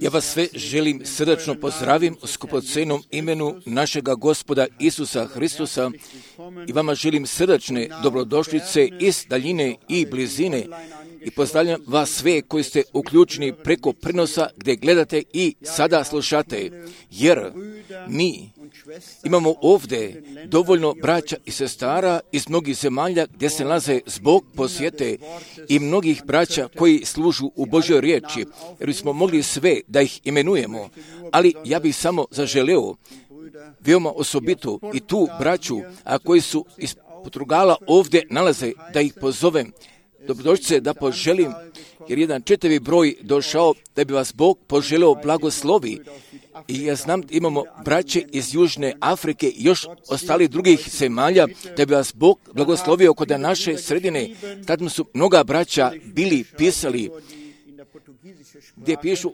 Ja vas sve želim srdačno pozdravim u skupocenom imenu našega Gospoda Isusa Hristusa i vama želim srdačne dobrodošlice iz daljine i blizine i pozdravljam vas sve koji ste uključeni preko prenosa gdje gledate i sada slušate, jer mi imamo ovdje dovoljno braća i sestara iz mnogih zemalja gdje se nalaze zbog posjete i mnogih braća koji služu u Božjoj riječi, jer bismo mogli sve da ih imenujemo, ali ja bih samo zaželeo veoma osobito i tu braću, a koji su iz Portugala ovdje nalaze, da ih pozovem. Dobrodošlice da poželim, jer jedan čitavi broj došao da bi vas Bog poželeo blagoslovi. I ja znam da imamo braće iz Južne Afrike i još ostali drugih zemalja da bi vas Bog blagoslovio kod naše sredine. Tad su mnoga braća bili pisali gdje pišu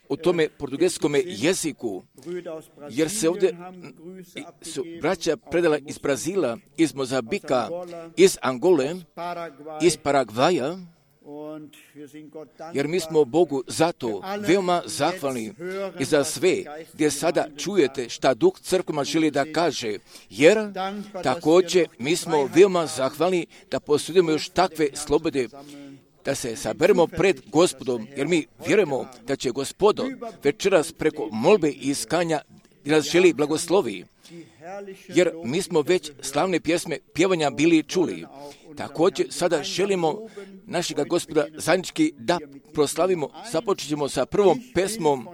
u tome portugalskome jeziku, jer se ovdje su braća predala iz Brazila, iz Mozambika, iz Angole, iz Paragvaja, jer mi smo Bogu zato veoma zahvalni i za sve gdje sada čujete šta Duh crkvama želi da kaže, jer također mi smo veoma zahvalni da posudimo još takve slobode, da se saberemo pred Gospodom, jer mi vjerujemo da će Gospodo večeras preko molbe i iskanja da nas želi blagoslovi, jer mi smo već slavne pjesme pjevanja bili čuli. Također sada želimo našega Gospoda zajednički da proslavimo. Započet ćemo sa prvom pesmom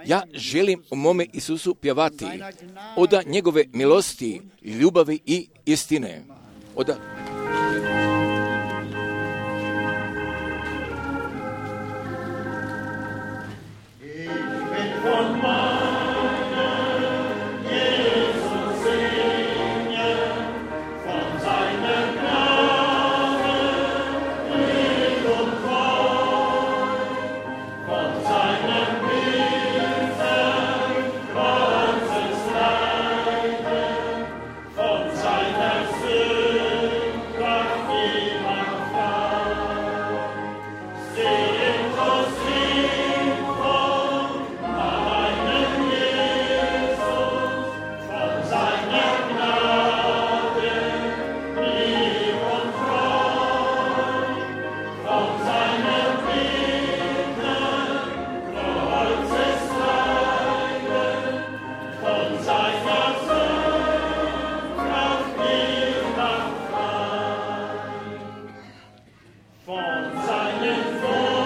Ja želim u mome Isusu pjevati od njegove milosti, ljubavi i istine. Von seinen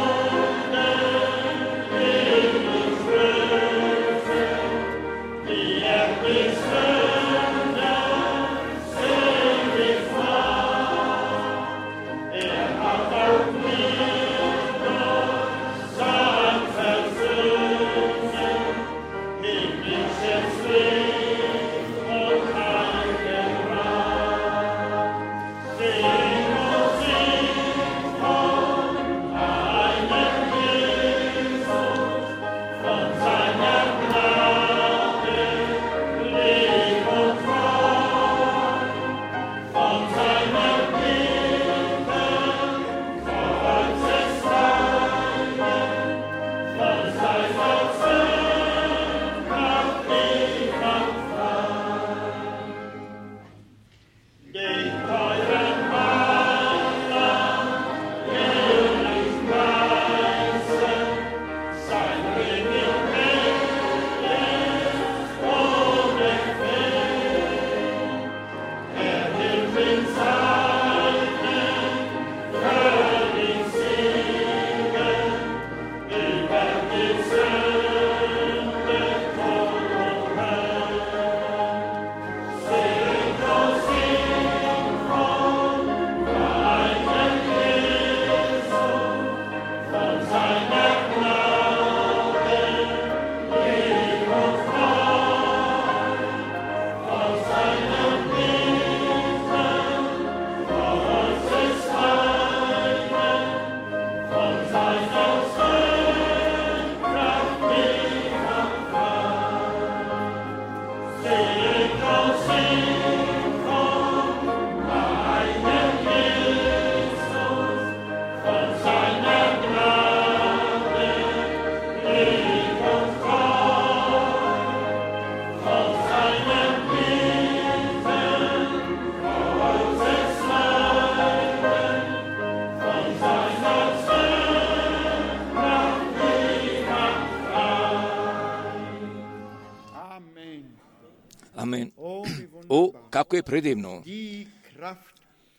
O, kako je predivno!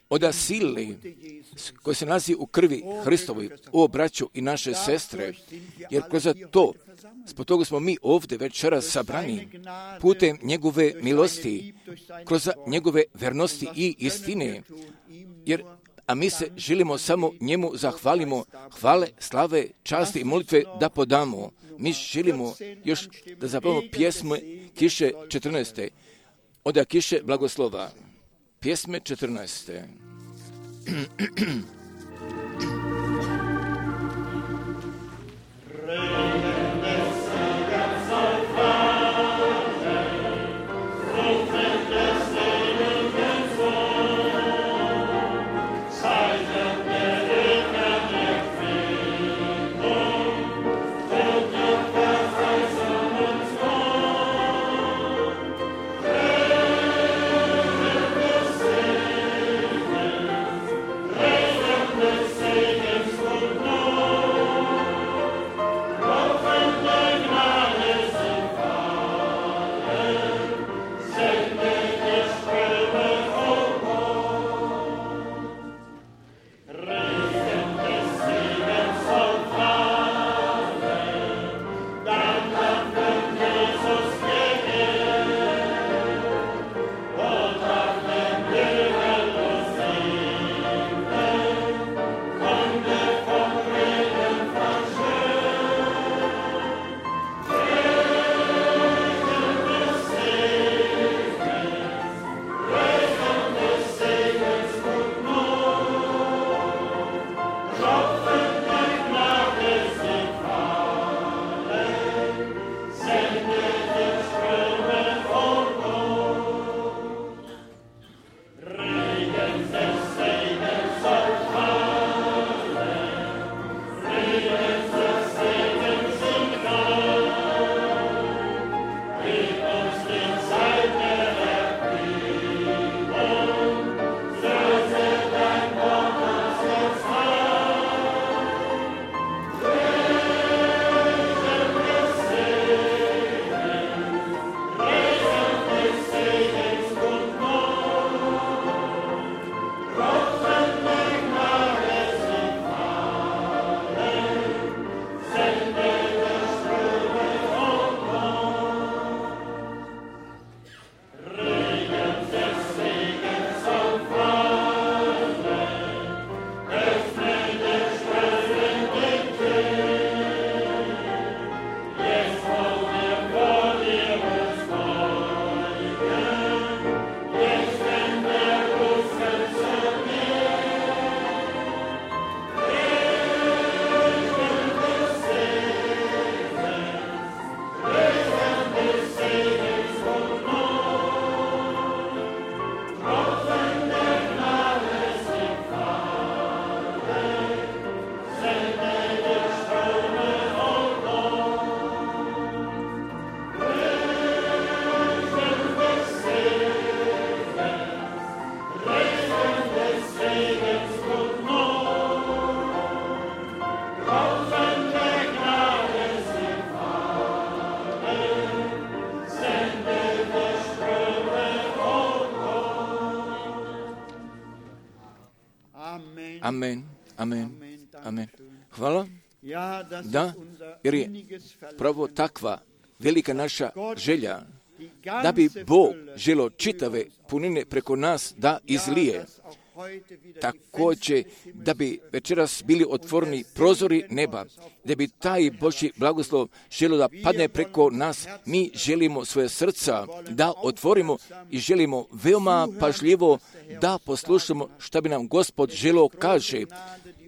Od sile koje se nalazi u krvi Hristovoj, o braću i naše sestre, jer kroz to, zbog toga smo mi ovdje večeras sabrani, putem njegove milosti, kroz njegove vernosti i istine, a mi se želimo samo njemu zahvalimo, hvale, slave, časti i molitve da podamo. Mi želimo još da zapevamo pjesme Kiše 14. Od Kiše blagoslova. Pjesme 14. Amen, amen, amen. Hvala. Da, jer je pravo takva velika naša želja da bi Bog želo čitave punine preko nas da izlije. Također da bi večeras bili otvoreni prozori neba, da bi taj Božji blagoslov želo da padne preko nas. Mi želimo svoje srca da otvorimo i želimo veoma pažljivo da poslušamo šta bi nam Gospod želo kaže.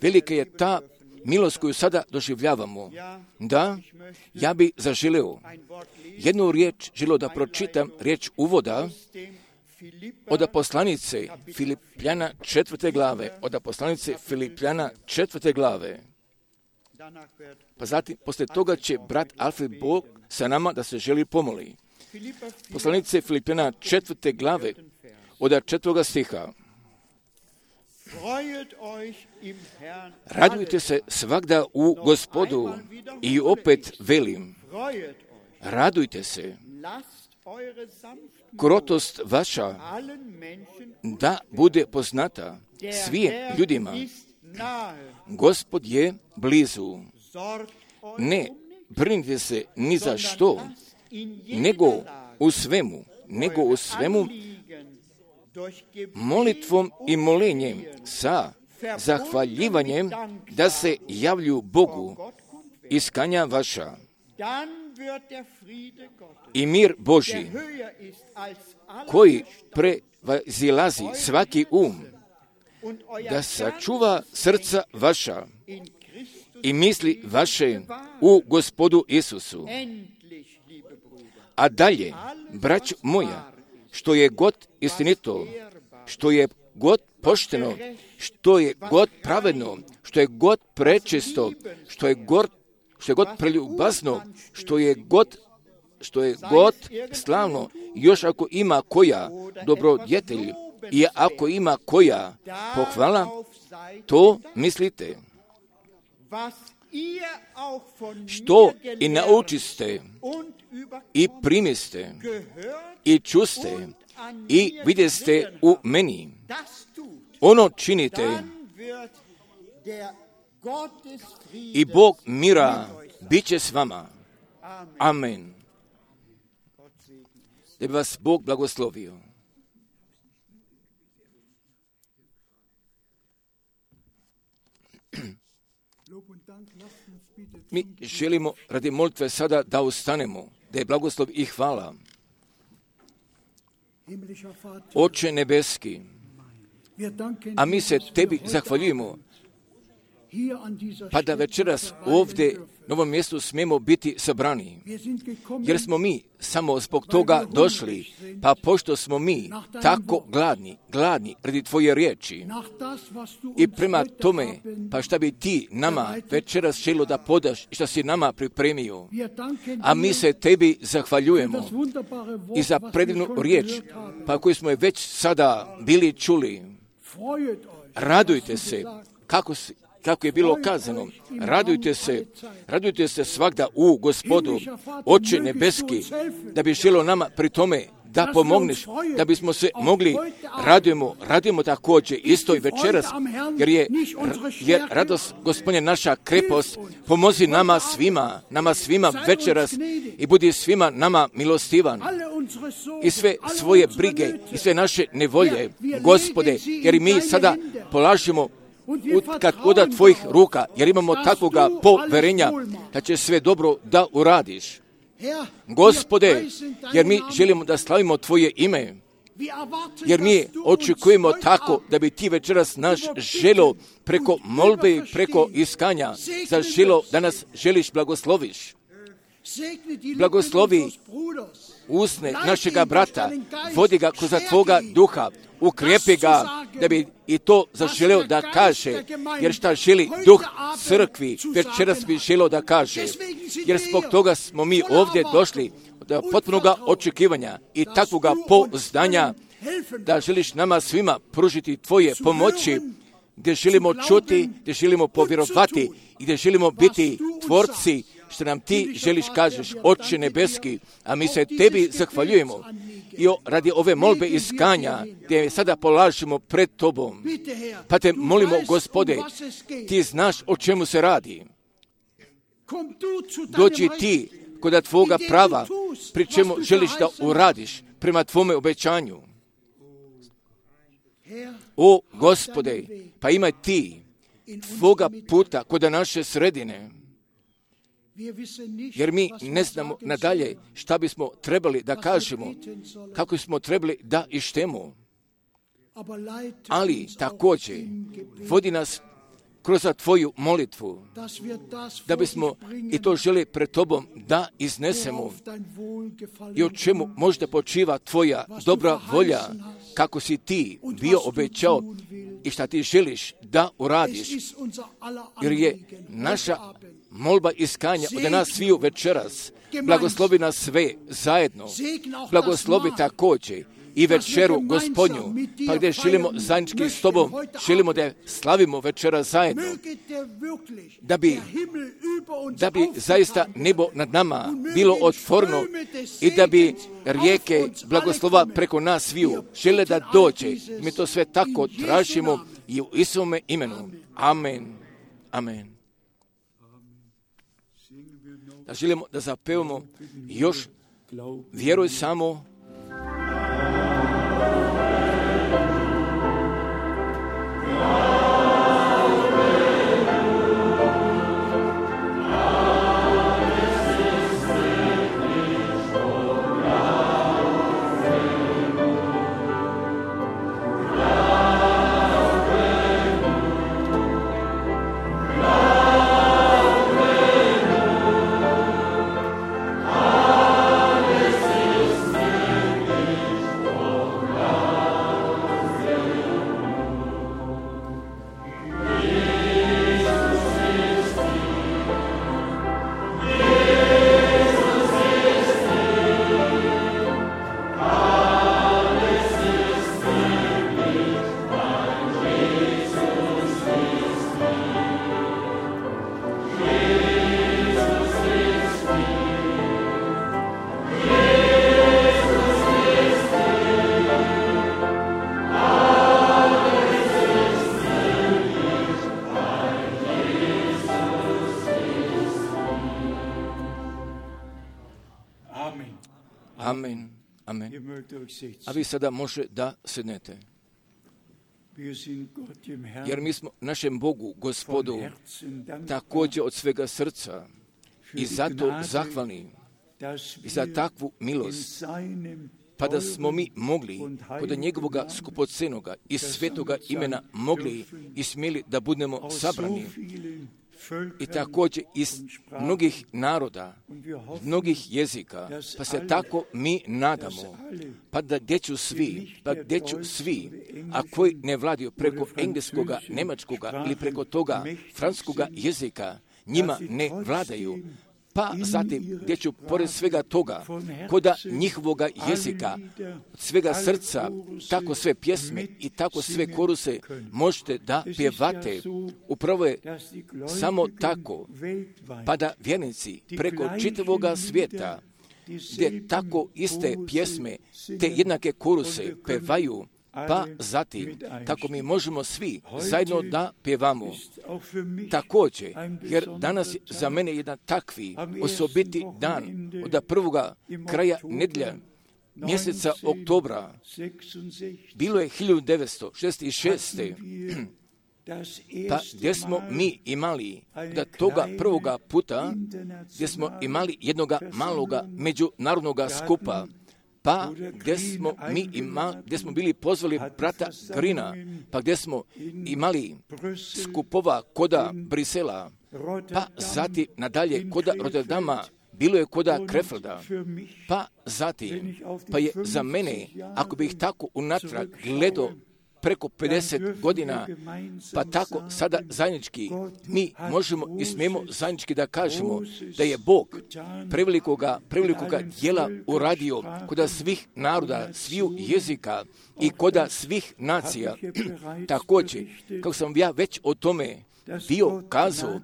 Velika je ta milost koju sada doživljavamo. Da, ja bi zaželeo jednu riječ želio da pročitam, riječ uvoda od poslanice Filipljana 4. glave, od poslanice Filipljana 4. glave. Pa zatim, poslije toga će brat Alfred Bog sa nama da se želi pomoli. Poslanice Filipljana 4. glave, od 4. stiha. Radujte se svagda u Gospodu i opet velim, radujte se. krotost vaša da bude poznata svim ljudima. Gospod je blizu. Ne brinite se ni za što, nego u svemu molitvom i molenjem sa zahvaljivanjem da se javlju Bogu iskanja vaša. I mir Božji, koji prevazilazi svaki da sačuva srca vaša i misli vaše u Gospodu Isusu. A dalje, braćo moja, što je god istinito, što je god pošteno, što je god pravedno, što je god prečisto, što je god preljubazno, što je god slavno, još ako ima koja dobrodjetelj i ako ima koja pohvala, to mislite. Što i naučiste i primiste i čuste i vidjeste u meni, ono činite i Bog mira bit će s vama. Amen. Da bi vas Bog blagoslovio. Mi želimo radi molitve sada da ustanemo, da je blagoslov i hvala. Oče nebeski, a mi se tebi zahvaljujemo, pa da večeras ovdje na ovom mjestu smijemo biti sabrani. Jer smo mi samo zbog toga došli, pa pošto smo mi tako gladni radi tvoje riječi i prema tome, pa šta bi ti nama večeras želio da podaš i šta si nama pripremio. A mi se tebi zahvaljujemo i za predivnu riječ, pa koju smo je već sada bili čuli. Radujte se, kako je bilo kazano, radujte se svagda u Gospodu, Oče nebeski, da bi želio nama pri tome da pomogneš, da bismo se mogli, radujemo također isto i večeras, jer radost Gospodnje naša krepost, pomozi nama svima večeras i budi svima nama milostivan. I sve svoje brige i sve naše nevolje, Gospode, jer mi sada polažemo kad oda tvojih ruka, jer imamo takvoga poverenja da će sve dobro da uradiš. Gospode, jer mi želimo da slavimo tvoje ime, jer mi očekujemo tako da bi ti večeras naš želo preko molbe i preko iskanja zaželo da nas želiš blagosloviš. Blagoslovi usne našega brata, vodi ga kroz tvoga duha, ukrijepi ga da bi i to zaželeo da kaže, jer šta želi duh crkvi, večeras bi želeo da kaže, jer zbog toga smo mi ovdje došli od potpunoga očekivanja i takvoga pouzdanja da želiš nama svima pružiti tvoje pomoći, gdje želimo čuti, gdje želimo povjerovati i gdje želimo biti tvorci što nam ti želiš kažeš, Oče nebeski, a mi se tebi zahvaljujemo i radi ove molbe iskanja gdje sada polažemo pred tobom. Pa te molimo, Gospode, ti znaš o čemu se radi. Dođi ti kod tvoga prava, pri čemu želiš da uradiš prema tvome obećanju. O Gospode, pa imaj ti tvoga puta kod naše sredine. Jer mi ne znamo nadalje šta bismo trebali da kažemo, kako smo trebali da ištemo. Ali također vodi nas kroz tvoju molitvu, da bismo i to želi pred tobom da iznesemo i o čemu možda počiva tvoja dobra volja, kako si ti bio obećao i šta ti želiš da uradiš. Jer je naša molba iskanja od nas sviju večeras. Blagoslovi nas sve zajedno. Blagoslovi također i večeru Gospodnju, pa gdje želimo zajednički s Tobom, želimo da slavimo večera zajedno, da bi zaista nebo nad nama bilo otvoreno i da bi rijeke blagoslova preko nas sviju žele da dođe. Mi to sve tako tražimo i u Isuvome imenu. Amen. Amen. Da želimo da zapevamo još vjeruj samo. Amen. Amen. A vi sada može da sednete. Jer mi smo našem Bogu, Gospodu, također od svega srca i zato zahvalni i za takvu milost, pa da smo mi mogli kod njegovoga skupocenoga i svetoga imena mogli i smjeli da budemo sabrani i također iz mnogih naroda, mnogih jezika, pa se tako mi nadamo, pa da gdje ću svi, a koji ne vladaju preko engleskoga, njemačkoga ili preko toga francuskoga jezika, njima ne vladaju, pa zatim gdje ću pored svega toga, koda njihovoga jezika, od svega srca, tako sve pjesme i tako sve koruse možete da pjevate. Upravo je samo tako, pa da vjernici preko čitavoga svijeta, gdje tako iste pjesme, te jednake koruse pevaju, pa zatim, kako mi možemo svi zajedno da pjevamo. Također, jer danas je za mene jedan takvi osobiti dan od prvoga kraja nedjelja mjeseca oktobra. Bilo je 1966. Pa gdje smo mi imali da toga prvoga puta, gdje smo imali jednoga maloga međunarodnoga skupa, pa gdje smo bili pozvali brata Grina, pa gdje smo imali skupova koda Brisela, pa zatim nadalje koda Rotterdama, bilo je koda Krefelda, pa zatim, pa je za mene, ako bih tako unatrag gledao preko 50 godina, pa tako sada zajednički mi možemo i smijemo zajednički da kažemo da je Bog prevelikoga djela uradio koda svih naroda, sviju jezika i koda svih nacija. Također, kako sam ja već o tome bio kazao,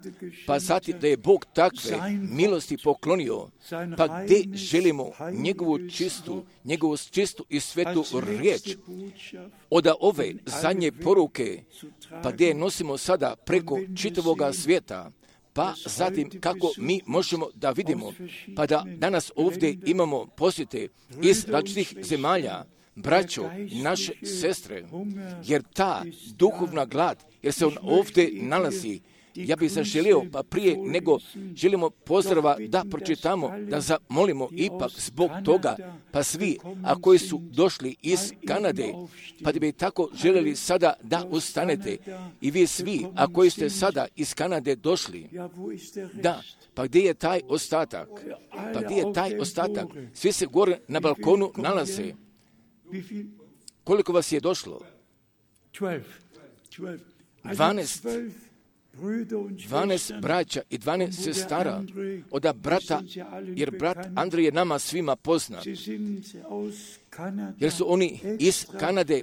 pa zatim da je Bog takve milosti poklonio, pa gdje želimo njegovu čistu i svetu riječ od ove zadnje poruke, pa gdje nosimo sada preko čitavoga svijeta, pa zatim kako mi možemo da vidimo, pa da danas ovdje imamo posjete iz različitih zemalja, braćo, naše sestre, jer ta duhovna glad, jer se on ovdje nalazi, ja bih zaželio, pa prije nego želimo pozdrava da pročitamo, da zamolimo ipak zbog toga, pa svi, a koji su došli iz Kanade, pa da bi tako željeli sada da ustanete, i vi svi, a koji ste sada iz Kanade došli, da, pa gdje je taj ostatak? Pa gdje je taj ostatak? Svi se gore na balkonu nalaze. Koliko vas je došlo? 12. 12 braća i 12 sestara od brata, jer brat Andrej je nama svima poznat, jer su oni iz Kanade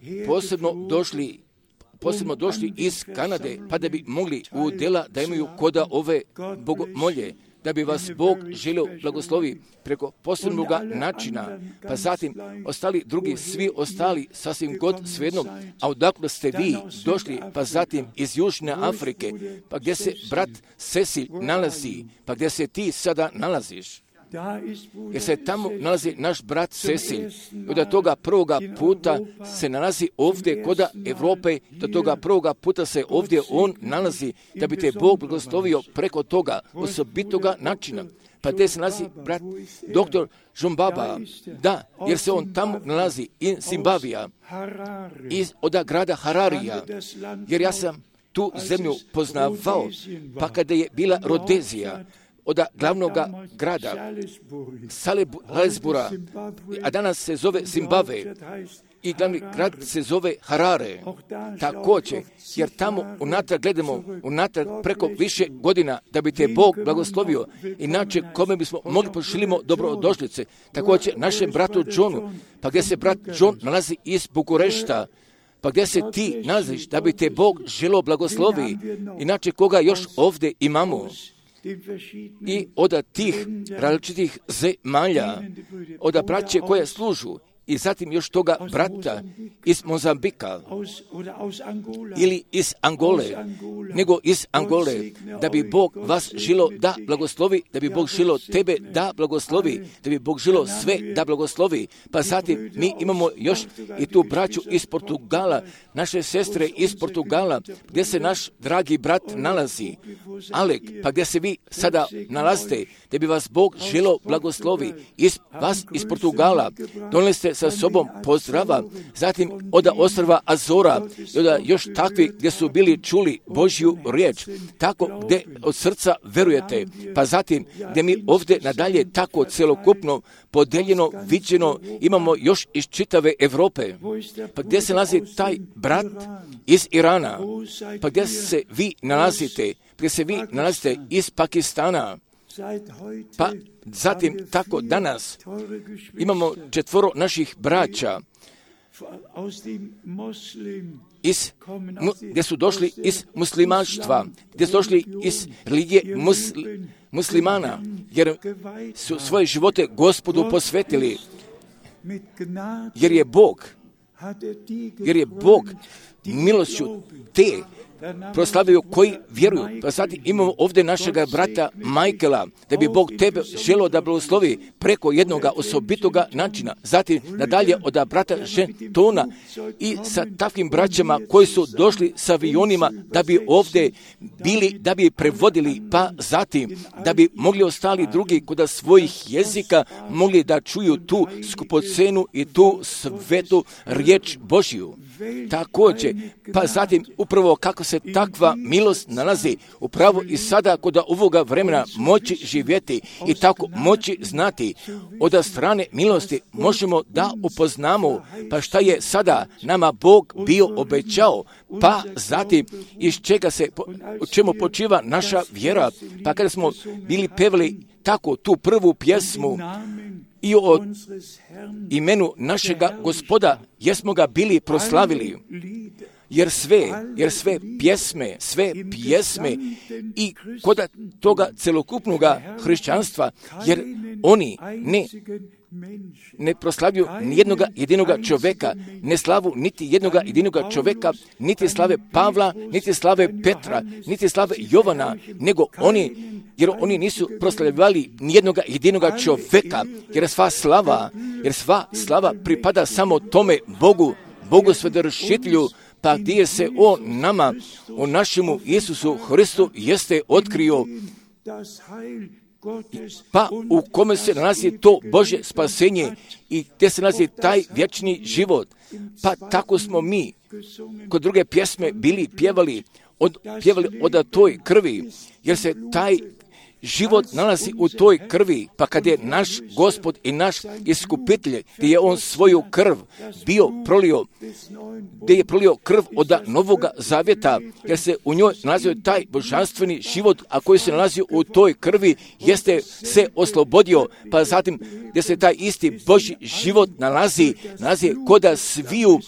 posebno došli iz Kanade, pa da bi mogli u dela da imaju koda ove bogomolje, da bi vas Bog želio blagoslovi preko posebnog načina, pa zatim ostali drugi, svi ostali sasvim god svejedno, a odakle ste vi došli, pa zatim iz Južne Afrike, pa gdje se brat Cecil nalazi, pa gdje se ti sada nalaziš, jer se tamo nalazi naš brat Cecil. Od toga prvoga puta se nalazi ovdje koda Evrope, do toga prvoga puta se ovdje on nalazi, da bi te Bog blagoslovio preko toga osobitoga načina. Pa gdje se nalazi brat doktor Žumbaba, da, jer se on tamo nalazi iz Zimbabvija, od grada Hararija, jer ja sam tu zemlju poznavao, pa kada je bila Rodezija, od glavnog grada Salisbura, a danas se zove Zimbabve, i glavni grad se zove Harare, također, jer tamo unatrag gledamo, unatrag preko više godina, da bi te Bog blagoslovio, inače kome bismo mogli pošilimo dobrodošlice, također našem bratu Johnu, pa gdje se brat John nalazi iz Bukurešta, pa gdje se ti nalaziš, da bi te Bog želio blagoslovi, inače koga još ovdje imamo. I od tih različitih zemalja, od braće koje služu, i zatim još toga brata iz Mozambika ili iz Angole, nego iz Angole, da bi Bog vas želo da blagoslovi, da bi Bog želo tebe da blagoslovi, da bi Bog želo sve da blagoslovi. Pa zatim mi imamo još i tu braću iz Portugala, naše sestre iz Portugala, gdje se naš dragi brat nalazi, Alek, pa gdje se vi sada nalazite, da bi vas Bog želo blagoslovi, vas iz Portugala, donijeli ste sa sobom pozdrava, zatim od ostrva Azora i od još takvi gdje su bili čuli Božju riječ, tako gdje od srca verujete, pa zatim gdje mi ovdje nadalje tako celokupno podeljeno, viđeno imamo još iz čitave Evrope, pa gdje se nalazi taj brat iz Irana, pa gdje se vi nalazite, gdje se vi nalazite iz Pakistana, pa zatim tako danas imamo 4 naših braća gdje su došli iz muslimanstva, gdje su došli iz religije muslimana, jer su svoje živote Gospodu posvetili, jer je Bog milošću te proslavio koji vjeruju. Pa sad imamo ovdje našega brata Michaela, da bi Bog tebe želio da blagoslovi preko jednoga osobitoga načina. Zatim nadalje od brata Žentona i sa takvim braćama koji su došli sa avionima da bi ovdje bili, da bi prevodili, pa zatim da bi mogli ostali drugi kod svojih jezika mogli da čuju tu skupocenu i tu svetu riječ Božju. Također, pa zatim upravo kako se takva milost nalazi upravo i sada kod ovoga vremena moći živjeti i tako moći znati od strane milosti možemo da upoznamo pa šta je sada nama Bog bio obećao, pa zatim iz čega se, u čemu počiva naša vjera, pa kada smo bili pevali tako tu prvu pjesmu i o imenu našega Gospoda, jesmo ga bili proslavili, jer sve pjesme i kod toga celokupnoga hrišćanstva, jer oni ne proslavljuju nijednoga jedinoga čovjeka, ne slavu niti jednoga jedinoga čovjeka, niti slave Pavla, niti slave Petra, niti slave Jovana, nego oni, jer oni nisu proslavljivali nijednoga jedinoga čovjeka, jer sva slava pripada samo tome Bogu Svedršitelju, pa gdje se on nama, o našemu Isusu Hristu jeste otkrio, pa u kome se nalazi to Božje spasenje i gdje se nalazi taj vječni život. Pa tako smo mi kod druge pjesme bili pjevali od toj krvi, jer se taj život nalazi u toj krvi, pa kad je naš Gospod i naš iskupitelj, gdje je on svoju krv bio prolio, gdje je prolio krv od Novoga Zavjeta, jer se u njoj nalazio taj božanstveni život, a koji se nalazio u toj krvi, jeste se oslobodio, pa zatim gdje se taj isti Božji život nalazi koda sviju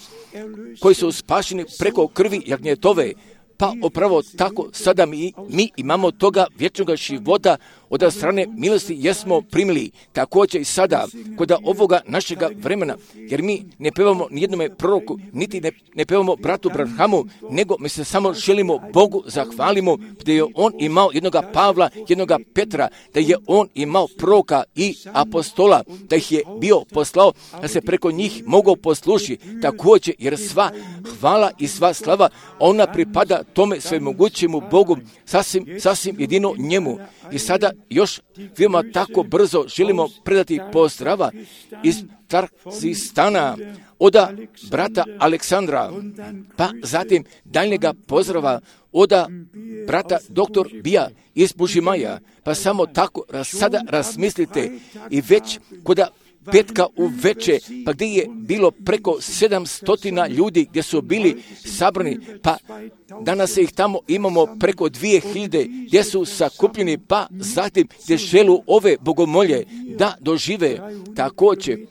koji su spašeni preko krvi jagnjetove. Pa upravo tako sada mi imamo toga vječnog života od strane milosti jesmo primili. Također i sada kod ovoga našega vremena, jer mi ne pevamo nijednome proroku, niti ne pevamo bratu Branhamu, nego mi se samo želimo Bogu zahvalimo da je on imao jednoga Pavla, jednoga Petra, da je on imao proroka i apostola, da ih je bio poslao, da se preko njih mogao poslušiti. Također jer sva hvala i sva slava ona pripada tome svemogućemu Bogu, sasvim jedino njemu. I sada još veoma tako brzo želimo predati pozdrava iz Tarzistana od brata Aleksandra, pa zatim daljnjega pozdrava od brata doktor Bija iz Bužimaja, pa samo tako sada razmislite i već koda petka u veče, pa gdje je bilo preko 700 ljudi gdje su bili sabrani, pa danas ih tamo imamo preko 2000 gdje su sakupljeni, pa zatim gdje želu ove bogomolje da dožive također.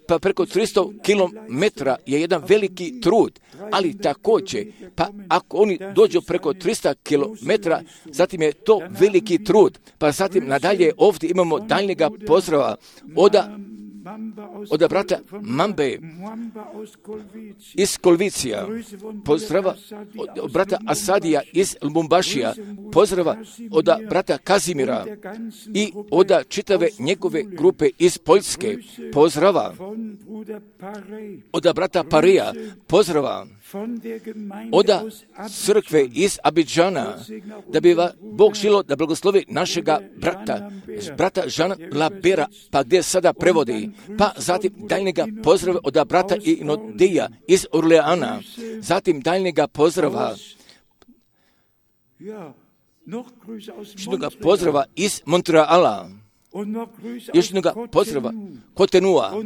Pa preko 300 km je jedan veliki trud, ali također, pa ako oni dođu preko 300 km, zatim je to veliki trud. Pa zatim nadalje ovdje imamo daljnjega pozdrava od brata Mambe iz Kolvicija, pozdrava od brata Asadija iz Lubumbašija, pozdrava od brata Kazimira i od čitave njegove grupe iz Poljske, pozdrava od brata Pareja, pozdrava od crkve iz Abidžana, da bi Bog želio da blagoslovi našega brata Jean Labera, pa gdje sada prevodi, pa zatim daljnjega pozdrava od brata Inodeja iz Orleana, zatim daljnjega pozdrava pozdrava iz Montreala, još jednoga pozdrava Kotenua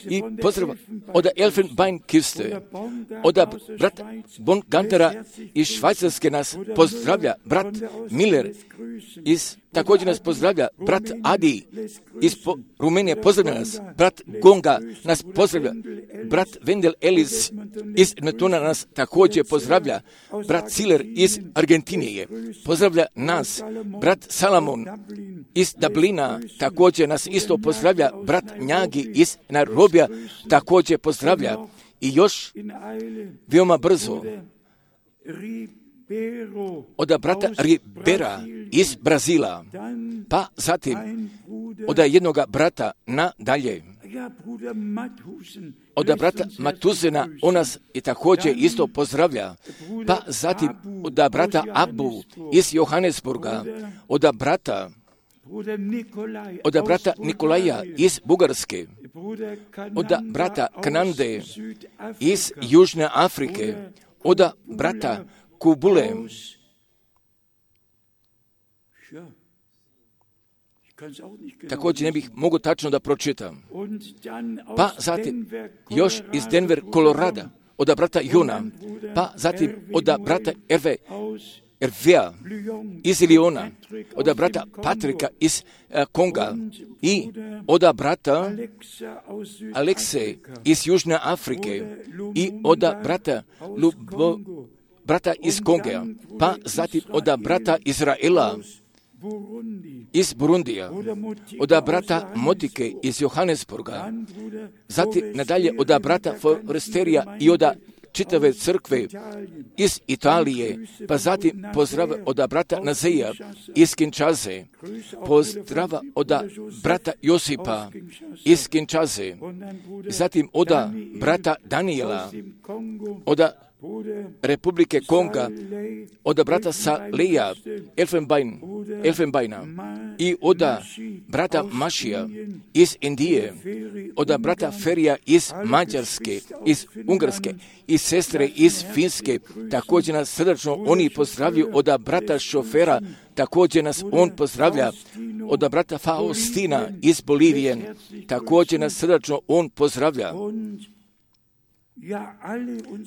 i pozdrava od Elfenbeinküste, od brat Von Gantera iz Švajcarske nas pozdravlja, brat Miller također nas pozdravlja, brat Adi iz Rumenije pozdravlja nas, brat Gonga nas pozdravlja, brat Wendel Ellis iz Edmontona nas također pozdravlja, brat Ciller iz Argentinije pozdravlja nas, brat Salamon iz Dublina također nas isto pozdravlja, brat Njagi iz Nairobija također pozdravlja i još veoma brzo od brata Ribera iz Brazila, pa zatim od jednoga brata nadalje, od brata Matuzena on nas i također isto pozdravlja, pa zatim od brata Abu iz Johannesburga, od brata Nikolaja iz Bugarske, od brata Kanande iz Južne Afrike, od brata Kubule, također ne bih mogu tačno da pročitam. Pa zatim još iz Denver, Colorado, od brata Jona, pa zatim od brata Ervea iz Iliona, od brata Patrika iz Konga i od brata Alekse iz Južne Afrike i od brata iz Konga, pa zatim od brata Izraela iz Burundija, od brata Motike iz Johannesburga, zatim nadalje od brata Foresterija i od čitave crkve iz Italije, pa zatim pozdrava od brata Nazeja iz Kinshase, pozdrava od brata Josipa iz Kinshase, zatim od brata Daniela, od Republike Konga, od brata Saleja Elfenbeina i od brata Mašija iz Indije, od brata Ferija iz Mađarske, iz Ungarske i sestre iz Finske. Također nas srdačno oni pozdravljaju. Od brata Šofera također nas on pozdravlja. Od brata Faustina iz Bolivije također nas srdačno on pozdravlja.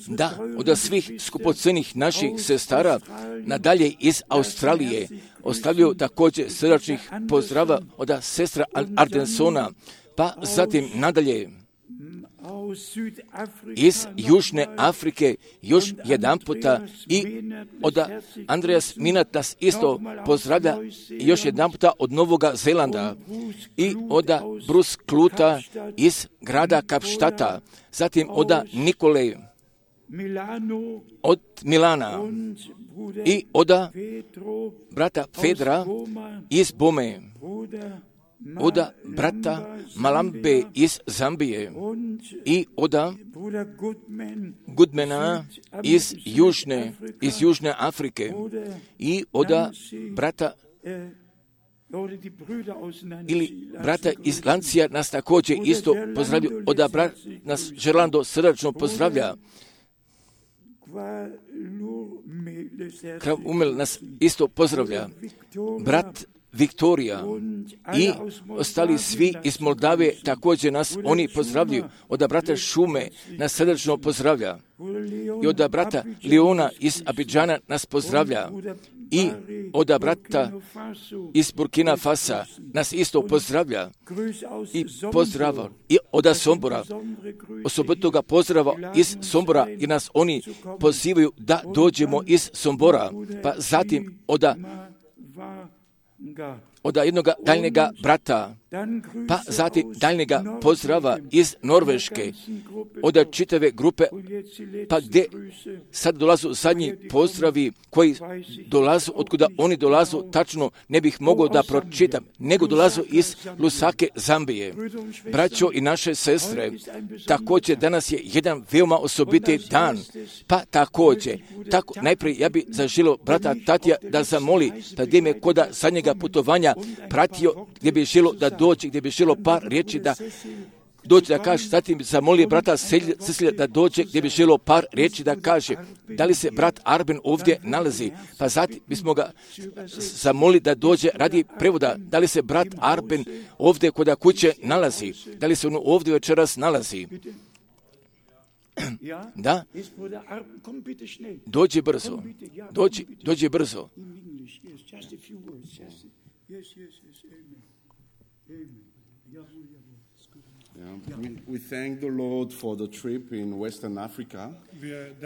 Da, od svih skupocenih naših sestara nadalje iz Australije ostavljaju također srdačnih pozdrava od sestra Ardensona, pa zatim nadalje iz Južne Afrike još jedan puta i od Andreas Minat nas isto pozdravlja još jedan puta od Novoga Zelanda i od Bruce Kluta iz grada Kapštata, zatim od Nikole od Milana i od brata Fedra iz Bome, od brata Malambe iz Zambije i od Goodmana iz Južne Afrike i od brata ili brata iz Lancija nas također isto pozdravljaju. Od brata nas Žerlando srdačno pozdravlja. Krav Umel nas isto pozdravlja. Brat Viktorija i ostali svi iz Moldave također nas oni pozdravljaju. Od brata Šume nas srdačno pozdravlja. I od brata Leona iz Abidžana nas pozdravlja. I od brata iz Burkina Fasa nas isto pozdravlja. I pozdrava i od Sombora. Osobitoga pozdrava iz Sombora i nas oni pozivaju da dođemo iz Sombora. Pa zatim od jednog daljnjega brata, pa zatim daljnjega pozdrava iz Norveške, od čitave grupe, pa gdje sad dolazu zadnji pozdravi koji dolazu, otkuda oni dolazu, tačno ne bih mogao da pročitam, nego dolazu iz Lusake, Zambije. Braćo i naše sestre, također danas je jedan veoma osobiti dan, pa također, najprije ja bih zaželio brata Tatija da zamoli, da gdje me koda zadnjega putovanja pratio, gdje bi želio da dođe, gdje bi želio par riječi da dođe da kaže, zatim zamoli brata Cecilija da dođe, gdje bi želio par riječi da kaže, da li se brat Arben ovdje nalazi, pa zatim bismo ga zamoli da dođe radi prevoda, da li se brat Arben ovdje kod kuće nalazi, da li se on ovdje večeras nalazi. Da, dođi brzo, dođi brzo.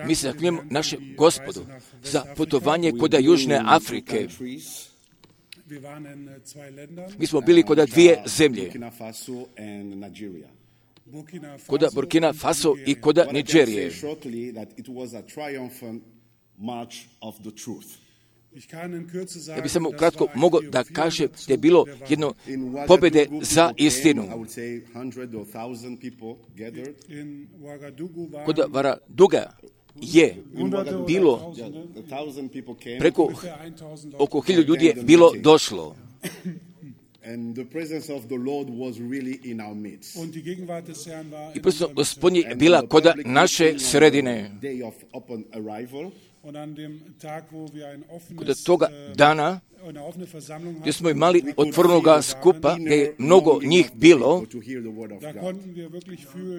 Mi se zahvaljujemo našem Gospodu za putovanje kod Južne Afrike. Mi smo bili kod dvije zemlje, kod Burkina Faso i kod Nigerije. Ja bih samo kratko mogao da kažem da je bilo jedno pobjede za istinu. Kod Varaduga je bilo preko oko 1000 ljudi je bilo došlo. I prisutnost Gospodnje je bila kod naše sredine. Kod toga dana gdje smo imali otvorenoga skupa, gdje je mnogo njih bilo,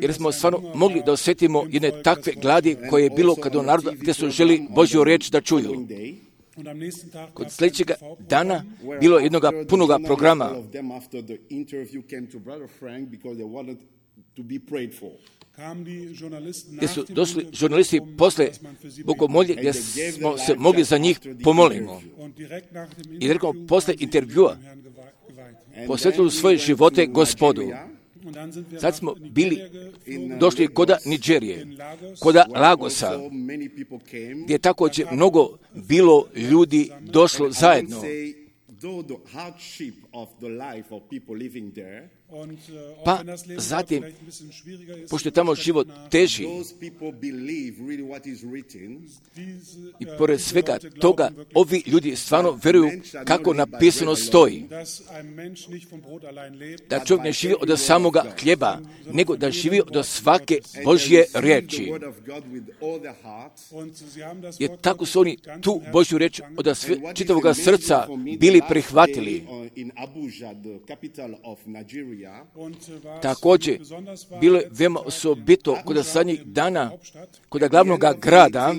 jer smo stvarno mogli da osjetimo jedne takve gladi koje je bilo kad u narodu gdje su želi Božju riječ da čuju. Kod sljedećeg dana bilo jednog punoga programa. Gdje su došli žurnalisti posle bogomolje gdje smo se mogli za njih pomolimo. I direktno posle intervjua posvetili svoje živote Gospodu. Sad smo došli kod Nigerije, kod Lagosa, gdje je također mnogo bilo ljudi došlo zajedno. Pa zatim, pošto je tamo život teži, i pored svega toga, ovi ljudi stvarno vjeruju kako napisano stoji. Da čovjek ne živi od samoga hljeba, nego da živi od svake Božje riječi. Jer tako su oni tu Božju riječ od čitavoga srca bili prihvatili. Također, bilo je veoma osobito kod zadnjih dana, kod glavnog grada,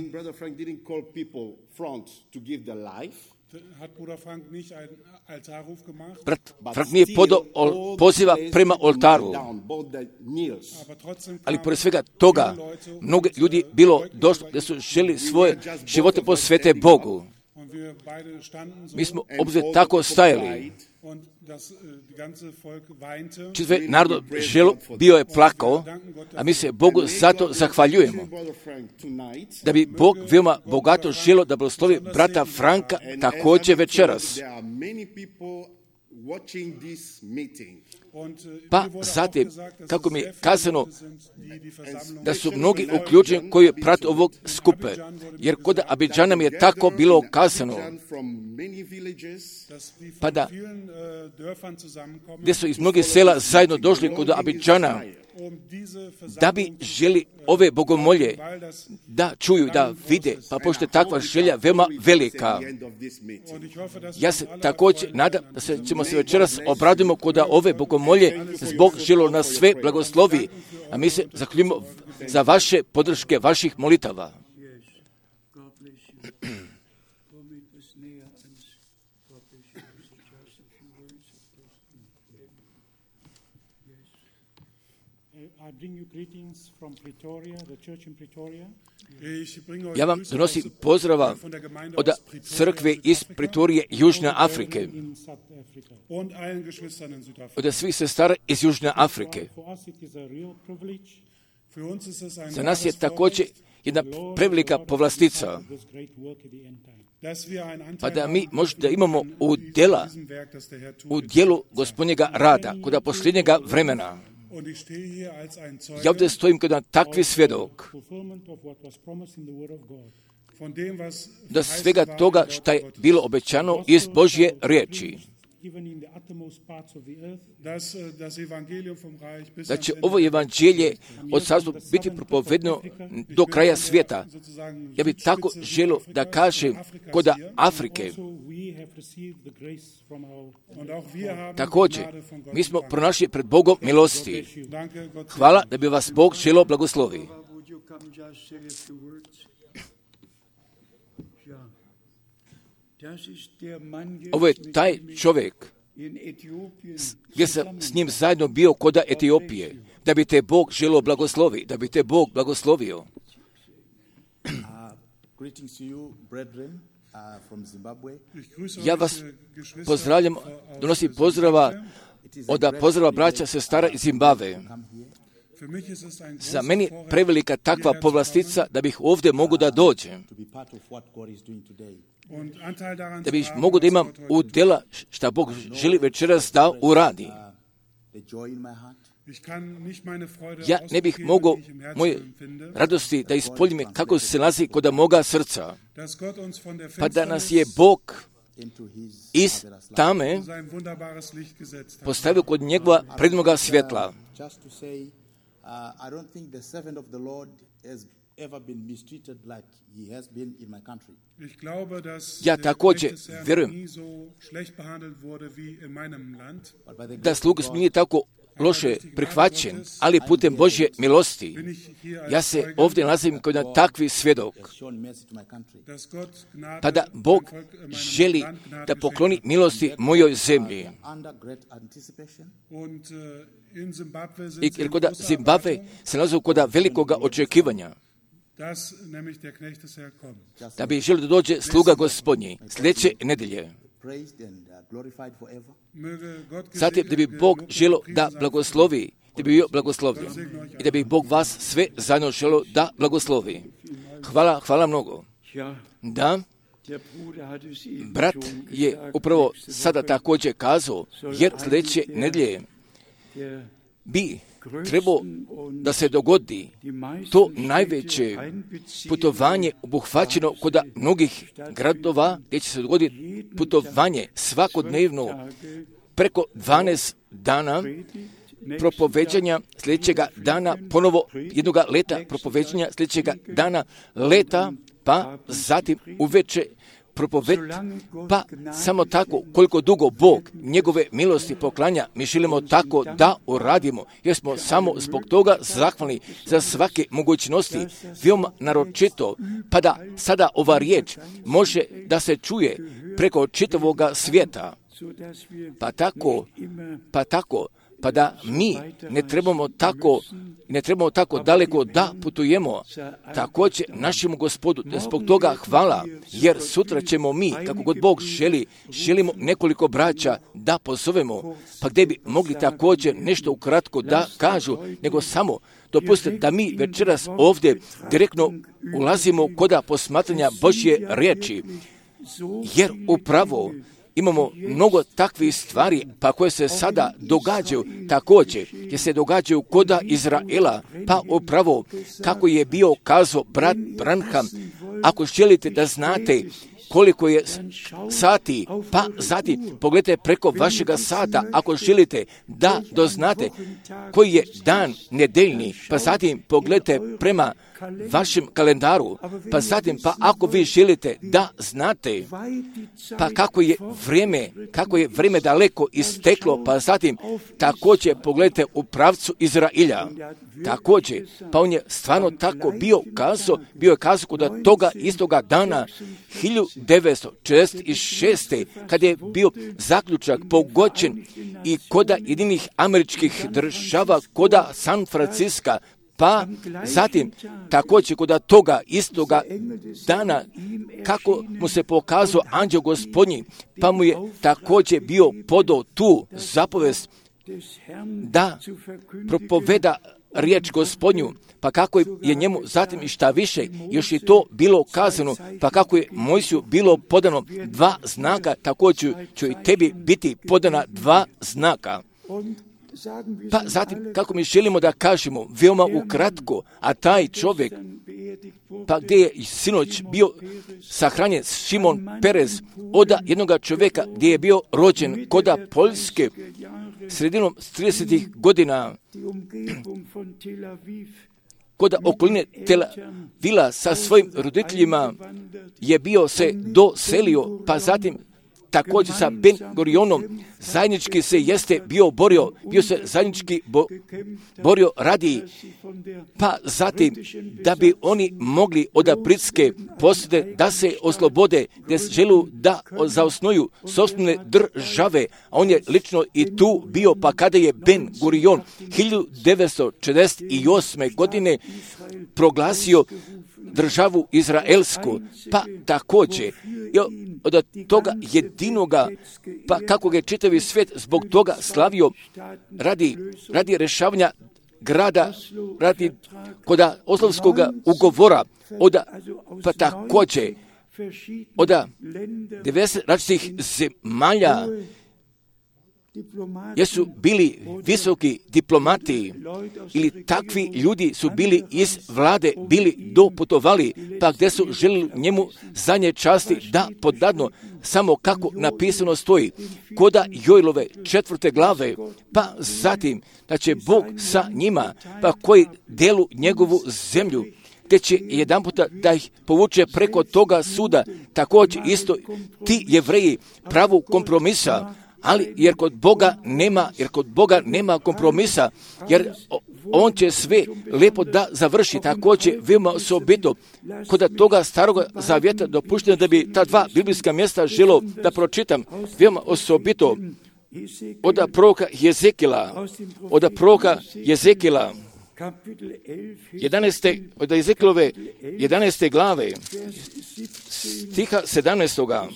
brat Frank nije podao poziva prema oltaru, ali pored svega toga, mnogi ljudi bilo došlo da su želi svoje živote posvete Bogu. Mi smo obzir tako stajali. Čitav narod bio je plakao, a mi se Bogu zato zahvaljujemo. Da bi Bog veoma bogato želio da blagoslovi brata Franka također večeras. Pa zatim, kako mi je kazano, da su mnogi uključeni koji prate ovog skupe, jer kod Abidžana mi je tako bilo kazano, pa da, gdje su iz mnogih sela zajedno došli kod Abidžana, da bi želi ove bogomolje da čuju, da vide, pa pošto je takva želja veoma velika. Ja se također nadam da ćemo se večeras obradimo kod ove bogomolje, zbog želo nas sve blagoslovi, a mi se zahvaljujemo za vaše podrške, vaših molitava. Ja vam donosim pozdrava od crkve iz Pretorije Južne Afrike, od svih sestara iz Južne Afrike. Za nas je također jedna prevelika povlastica, pa da mi možda imamo u dijelu Gospodnjega rada, kod posljednjega vremena. Ja ovdje stojim kao takvi svjedok da svega toga što je bilo obećano iz Božje riječi, da će ovo evanđelje od Carstva biti propovedno do kraja svijeta. Ja bih tako želio da kažem kod Afrike. Također, mi smo pronašli pred Bogom milosti. Hvala da bi vas Bog želio blagoslovi. Ovo je taj čovjek gdje sam s njim zajedno bio kod Etiopije, da bi te Bog želio blagoslovi, da bi te Bog blagoslovio. Ja vas pozdravljam, donosim pozdrava od pozdrava braća sestara iz Zimbabve. Za meni prevelika takva povlastica da bih ovdje mogu da dođem, da bih mogu da imam udjela šta Bog želi večeras da uradi. Ja ne bih mogao moje radosti da ispoljim kako se nalazi kod moga srca, pa da nas je Bog iz tame postavio kod njegova prednoga svjetla. Ja također vjerujem da sluga nije tako loše prihvaćen, ali putem Božje milosti. Ja se ovdje nalazim kao jedan takvi svjedok. Pa da Bog želi da pokloni milosti mojoj zemlji. Jer kod Zimbabve se nalazi kod velikoga očekivanja, da bi želio da dođe sluga Gospodnji sljedeće nedelje. Zatim da bi Bog želio da blagoslovi, da bi bio blagoslovljen i da bi Bog vas sve zajedno želio da blagoslovi. Hvala mnogo. Da, Brat je upravo sada također kazao, jer sljedeće nedjelje bi trebao da se dogodi to najveće putovanje obuhvaćeno kod mnogih gradova, gdje će se dogoditi putovanje svakodnevno preko 12 dana propoveđanja, sljedećega dana ponovo jednoga leta propoveđanja, sljedećega dana leta, pa zatim uveče propoved, pa samo tako koliko dugo Bog njegove milosti poklanja, mi želimo tako da uradimo, jer smo samo zbog toga zahvalni za svake mogućnosti, veoma naročito, pa da sada ova riječ može da se čuje preko čitavoga svijeta, pa da mi ne trebamo tako daleko da putujemo. Također našemu Gospodu, zbog toga hvala, jer sutra ćemo mi, kako god Bog želimo nekoliko braća da pozovemo, pa gdje bi mogli također nešto ukratko da kažu, nego samo dopustite da mi večeras ovdje direktno ulazimo kod posmatranja Božje riječi, jer upravo imamo mnogo takvih stvari, pa koje se sada događaju također, gdje se događaju kod Izraela, pa upravo kako je bio kazao brat Branham, ako želite da znate koliko je sati, pa zatim pogledajte preko vašega sata, ako želite da doznate koji je dan nedeljni, pa zatim pogledajte prema vašem kalendaru, pa zatim, pa ako vi želite da znate, pa kako je vrijeme daleko isteklo, pa zatim također pogledajte u pravcu Izrailja. Također, pa on je stvarno tako bio je kazao kod toga istoga dana 1946. kad je bio zaključak pogođen i kod Jedinih Američkih Država, kod San Francisca, pa zatim također kod toga istoga dana kako mu se pokazao anđeo Gospodnji, pa mu je također bio podao tu zapovest da propoveda riječ Gospodnju, pa kako je njemu zatim i šta više, još je to bilo kazano, pa kako je Mojsiju bilo podano 2 znaka, također će i tebi biti podana 2 znaka. Pa zatim, kako mi želimo da kažemo, veoma ukratko, a taj čovjek, pa gdje je sinoć bio sahranjen Šimon Perez, od jednoga čovjeka gdje je bio rođen kod Poljske, sredinom 30. godina, kod okoline Tel Avila sa svojim roditeljima je bio se doselio, pa zatim također sa Ben Gurionom zajednički se bio se zajednički borio radi, pa zatim da bi oni mogli od britske posade da se oslobode, da želu da zaosnuju sopstvene države, a on je lično i tu bio, pa kada je Ben Gurion 1948. godine proglasio državu izraelsku, pa također od toga jedinoga, pa kako je čitavi svijet zbog toga slavio radi rješavanja grada, radi kod Oslovskog ugovora, pa također od 90 različitih zemalja jesu bili visoki diplomati ili takvi ljudi su bili iz vlade, bili doputovali, pa gdje su želili njemu zadnje časti da podadno, samo kako napisano stoji, koda Joilove 4. glave, pa zatim da će Bog sa njima, pa koji delu njegovu zemlju, te će jedan puta da ih povuče preko toga suda, također isto ti Jevreji pravu kompromisa, ali jer kod Boga nema kompromisa, jer on će sve lijepo da završi. Također veoma osobito kod toga starog zavjeta dopušteno da bi ta 2 biblijska mjesta želo da pročitam, veoma osobito od proroka Jezekila 11. glave, stiha 17.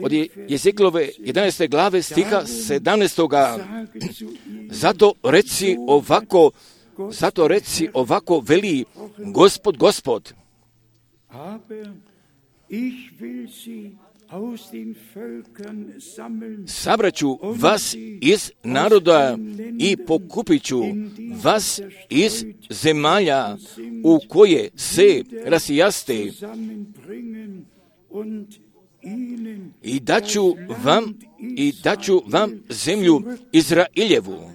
Od Jezekilove 11. glave, stiha 17. Zato reci ovako veli Gospod. Sabraću vas iz naroda i pokupit ću vas iz zemalja u koje se rasijaste i daću vam zemlju Izrailjevu.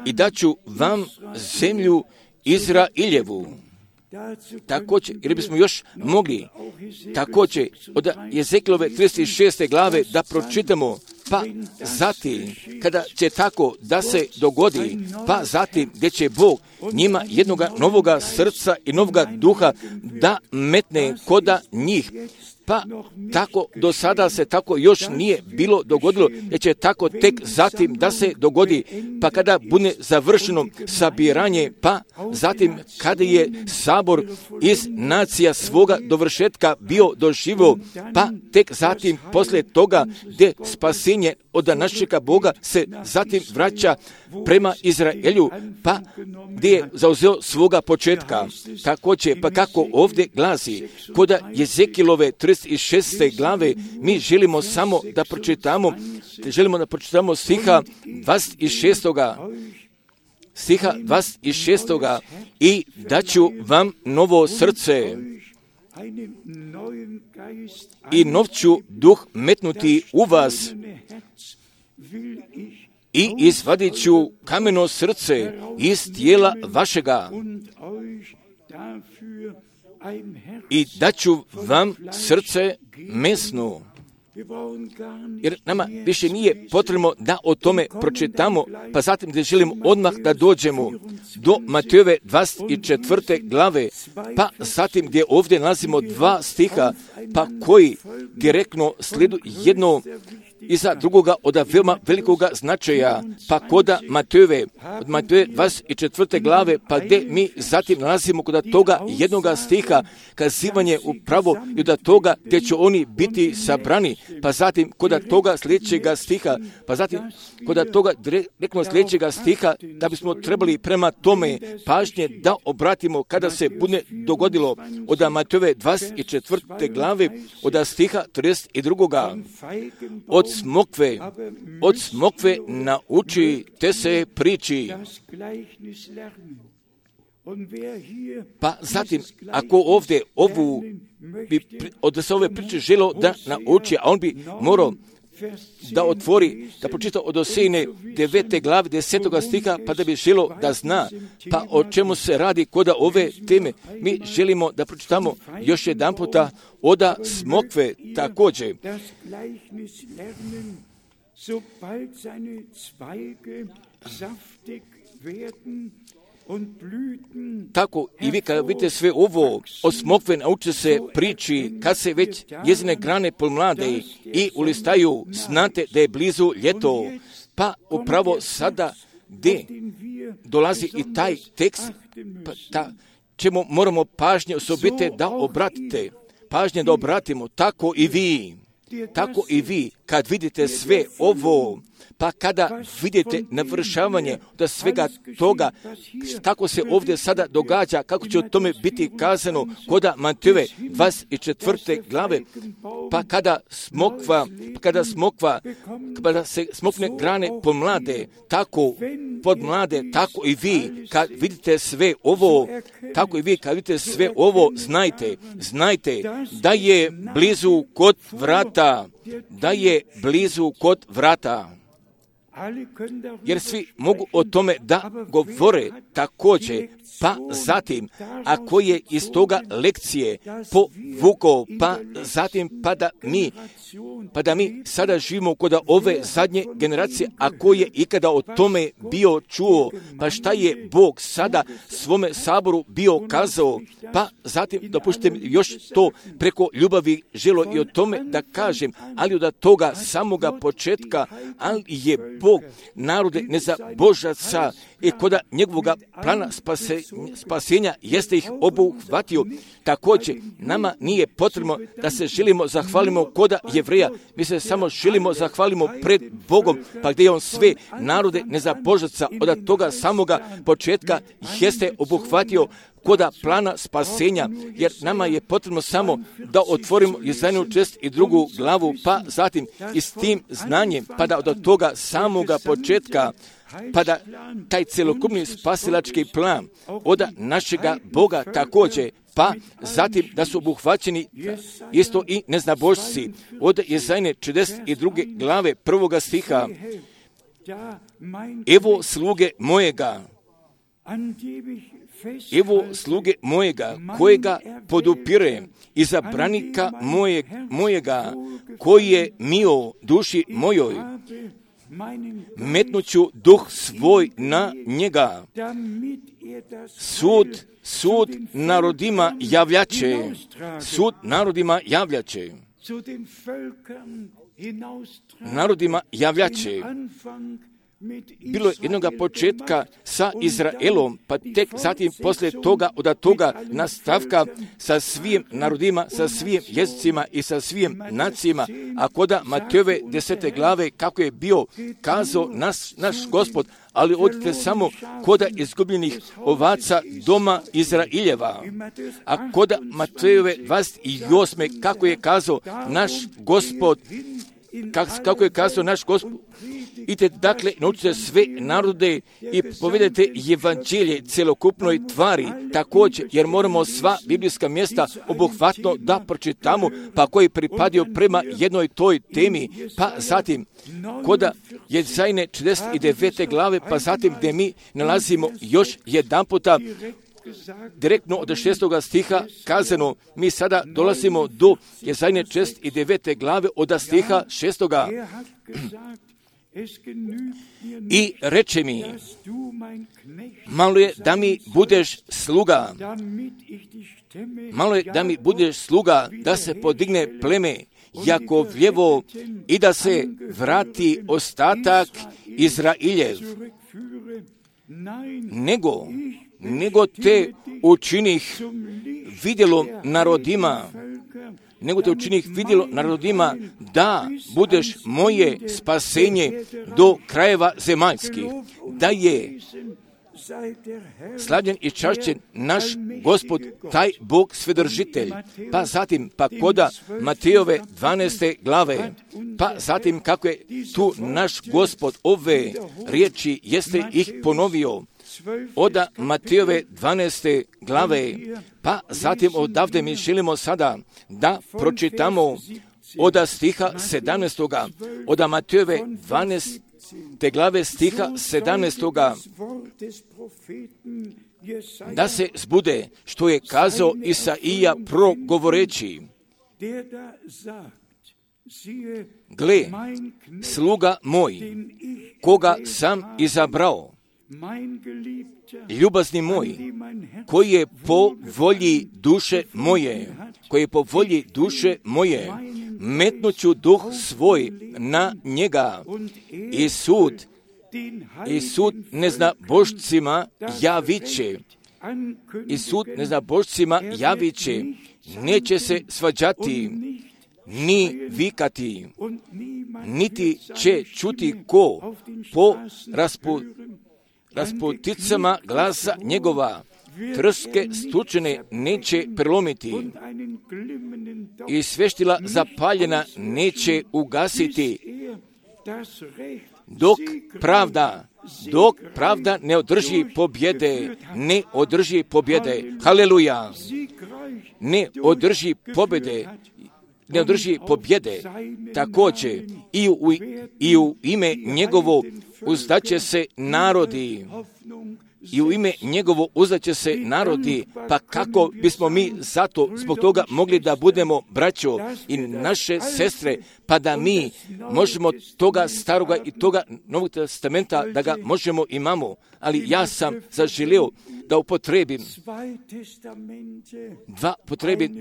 I daću vam zemlju Izrailjevu. Također, jer bismo još mogli također od Jezekilove 36. glave da pročitamo, pa zatim kada će tako da se dogodi, pa zatim gdje će Bog njima jednoga novoga srca i novoga duha da metne koda njih. Pa tako do sada se tako još nije bilo dogodilo, jer će tako tek zatim da se dogodi, pa kada bude završeno sabiranje, pa zatim kada je sabor iz nacija svoga dovršetka bio doživio, pa tek zatim poslije toga gdje spasenje od našega Boga se zatim vraća prema Izraelju, pa gdje je zauzeo svoga početka. Također, pa kako ovdje glasi, koda Jezekilove 36. glave, mi želimo samo da pročitamo, stiha 26. I daću vam novo srce i nov ću duh metnuti u vas i izvadit ću kameno srce iz tijela vašega i daću vam srce mesno. Jer nama više nije potrebno da o tome pročitamo, pa zatim da želimo odmah da dođemo do Matejove 24. glave, pa zatim gdje ovdje nalazimo 2 stiha, pa koji direktno slijedu jedno iza drugoga od veoma velikoga značaja, pa koda Matejove, od Matejove 24. glave, pa gdje mi zatim nalazimo kod toga jednoga stiha, kazivanje upravo i od toga gdje će oni biti sabrani, pa zatim kod toga sljedećega stiha, pa zatim kod toga direktno sljedećega stiha, da bismo trebali prema tome pažnje da obratimo kada se bude dogodilo od Matejove 24. glave, od stiha 32. Od smokve naučite se priči. Pa zatim, ako ovdje od se ove priče želo da nauči, a on bi morao da otvori, da pročita od Osejine 9. glave 10. stiha, pa da bi želo da zna, pa o čemu se radi kod ove teme. Mi želimo da pročitamo još jedan puta od smokve također. Tako i vi kada vidite sve ovo od smokve naučite se priči, kad se već njezine grane pomlade i ulistaju, znate da je blizu ljeto. Pa upravo sada gdje dolazi i taj tekst, pa čemu moramo pažnje osobite da obratite, pažnje da obratimo, tako i vi, kad vidite sve ovo, pa kada vidite navršavanje da svega toga, kako se ovdje sada događa, kako će o tome biti kazano kod Matejove 24. glave, pa kada se smokne grane pomlade, tako tako i vi, kad vidite sve ovo, znajte da je blizu kod vrata. Jer svi mogu o tome da govore također, pa zatim, ako je iz toga lekcije povukao, pa zatim, pa da mi sada živimo kod ove zadnje generacije, ako je ikada o tome bio čuo, pa šta je Bog sada svome saboru bio kazao, pa zatim dopustite mi još to preko ljubavi želo i o tome da kažem, ali od toga samoga početka, ali je Bog narode nezabožaca i kod njegovoga plana spasenja jeste ih obuhvatio. Također, nama nije potrebno da se želimo zahvalimo kod Jevreja, mi se samo želimo zahvalimo pred Bogom, pa gdje je on sve narode nezabožaca od toga samoga početka jeste obuhvatio koda plana spasenja, jer nama je potrebno samo da otvorimo Jesajahu 42. glavu, pa zatim i s tim znanjem, pa da od toga samoga početka, pa da taj celokupni spasilački plan od našega Boga također, pa zatim da su obuhvaćeni isto i neznabošci. Od Jesaje 42. glave 1. stiha, evo sluge mojega, kojega podupirem, izabranika mojega, koji je mio duši mojoj, metnuću duh svoj na njega. Sud narodima javljače. Bilo je jednoga početka sa Izraelom, pa tek zatim poslije toga, od toga nastavka sa svim narodima, sa svim jezicima i sa svim nacijama, a koda Matejove 10. glave, kako je bio kazao naš Gospod, ali odite samo koda izgubljenih ovaca doma Izraeljeva. A koda Matejove 28. kako je kazao naš Gospod, idite dakle, naučite sve narode i povedete evanđelje celokupnoj tvari također, jer moramo sva biblijska mjesta obuhvatno da pročitamo, pa koji pripadio prema jednoj toj temi, pa zatim koda Jesaje 49. glave, pa zatim gdje mi nalazimo još jedan puta direktno od 6. stiha kazano, mi sada dolazimo do Jesaje 49. glave od stiha 6. I reče mi, malo je da mi budeš sluga, da se podigne pleme Jakovljevo i da se vrati ostatak Izraeljev. Nego te učinih vidjelom narodima, da budeš moje spasenje do krajeva zemaljskih, da je slavljen i čašćen naš Gospod, taj Bog svedržitelj. Pa zatim, pa koda Matejove 12. glave, pa zatim kako je tu naš Gospod ove riječi jeste ih ponovio, od Matejove 12. glave, pa zatim odavde mi želimo sada da pročitamo od stiha 17. od Matejove 12. glave stiha 17. da se zbude što je kazao Isaija progovoreći. Gle, sluga moj, koga sam izabrao, ljubazni moj, koji je po volji duše moje, metnuću duh svoj na njega i sud neznabošcima javiće, neće se svađati, ni vikati, niti će čuti ko po rasputicama glasa njegova, trske stučene neće prelomiti i sveštila zapaljena neće ugasiti, dok pravda ne održi pobjede. Haleluja! Ne održi pobjede, također i u ime njegovo uzdaće se narodi. Pa kako bismo mi zbog toga mogli da budemo braćo i naše sestre, pa da mi možemo toga staroga i toga Novog testamenta da ga možemo imamo, ali ja sam zaželio da upotrebim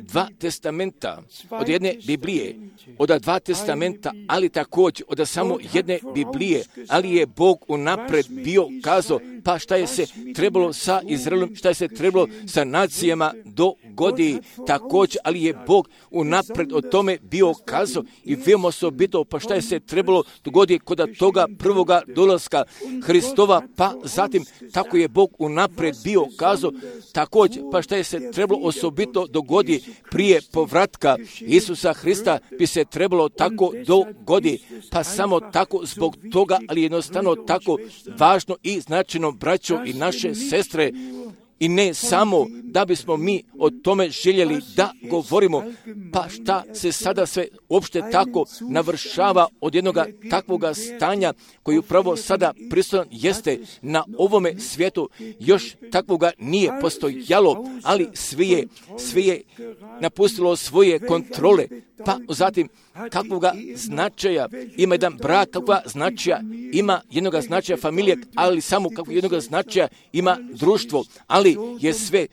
dva testamenta od jedne Biblije, od dva testamenta, ali također od samo jedne Biblije, ali je Bog unapred bio kazao, pa šta je se trebalo sa Izraelom, šta je se trebalo sa nacijama dogodi također, ali je Bog unapred o tome bio kazao i veoma osobito, pa šta je se trebalo dogoditi kod toga prvoga dolaska Hristova, pa zatim tako je Bog unapred bio kazao također, pa šta je se trebalo osobito dogoditi prije povratka Isusa Hrista bi se trebalo tako dogoditi, pa samo tako zbog toga, ali jednostavno tako važno i značajno, braćo i naše sestre, i ne samo da bismo mi o tome željeli da govorimo, pa šta se sada sve uopšte tako navršava od jednoga takvoga stanja koji upravo sada prisutan jeste na ovome svijetu, još takvoga nije postojalo, ali sve je napustilo svoje kontrole, pa zatim kakvoga značaja ima jedan brak, kakvoga značaja ima jednoga značaja familije, ali samo kakvog jednoga značaja ima društvo, ali je sve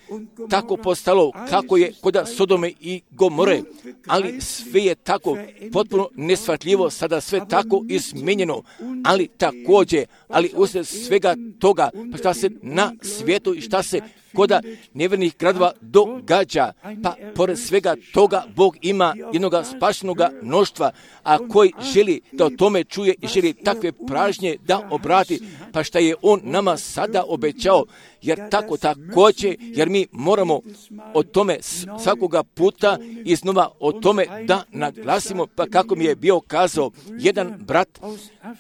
tako postalo kako je kod Sodome i Gomore, ali sve je tako potpuno neshvatljivo, sada sve tako izmijenjeno, ali također, ali usred svega toga, pa šta se na svijetu i šta se koda nevjernih gradova događa, pa pored svega toga Bog ima jednoga spašenoga mnoštva, a koji želi da o tome čuje i želi takve pražnje da obrati, pa šta je On nama sada obećao, jer tako također, jer mi moramo o tome svakoga puta iznova o tome da naglasimo, pa kako mi je bio kazao jedan brat,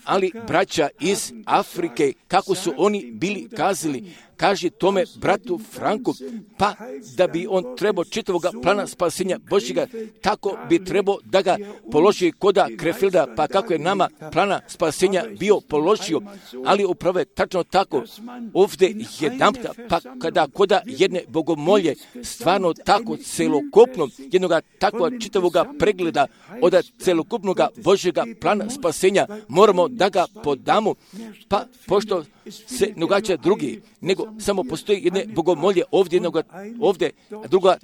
ali braća iz Afrike, kako su oni bili kazali, kaže tome bratu Franku, pa da bi on trebao čitavoga plana spasenja Božjega, tako bi trebao da ga položi koda Krefilda, pa kako je nama plana spasenja bio položio, ali upravo je tačno tako ovdje jedanputa, pa kada koda jedne bogomolje stvarno tako celokupno jednoga takva čitavoga pregleda od celokupnoga Božjega plana spasenja moramo da ga podamo, pa pošto se ne događa drugi, nego samo postoji jedne bogomolje ovdje, a druga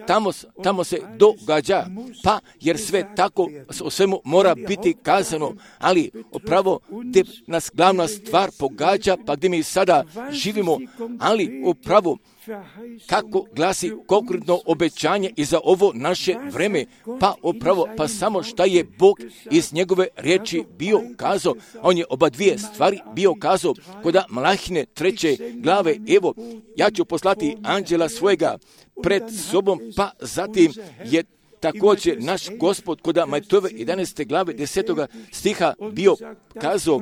tamo se događa, pa jer sve tako o svemu mora biti kazano, ali upravo gdje nas glavna stvar pogađa, pa gdje mi sada živimo, ali upravo kako glasi konkretno obećanje i za ovo naše vreme, pa upravo, pa samo šta je Bog iz njegove riječi bio kazao, on je oba dvije stvari bio kazao kod Malahine 3. glave, evo, ja ću poslati anđela svojega pred sobom, pa zatim je također naš Gospod kod Majtove 11. glave 10. stiha bio kazao,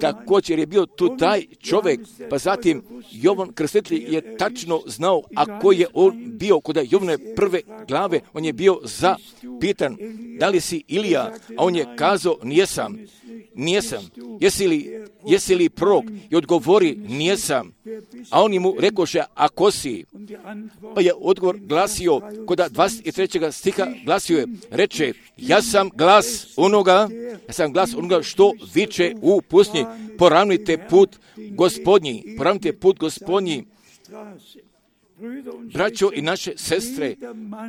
također je bio tu taj čovjek, pa zatim Jovan Krstitelj je tačno znao, a koji je on bio kod Jovane 1. glave, on je bio zapitan, da li si Ilija, a on je kazao, nijesam. Jesi li prorok? I odgovori, nijesam. A oni mu rekoše, a ko si? Pa je odgovor glasio, kod 23. stiha glasio je, reče, ja sam glas onoga što viče u pustinji, poravnajte put Gospodnji. Braćo i naše sestre,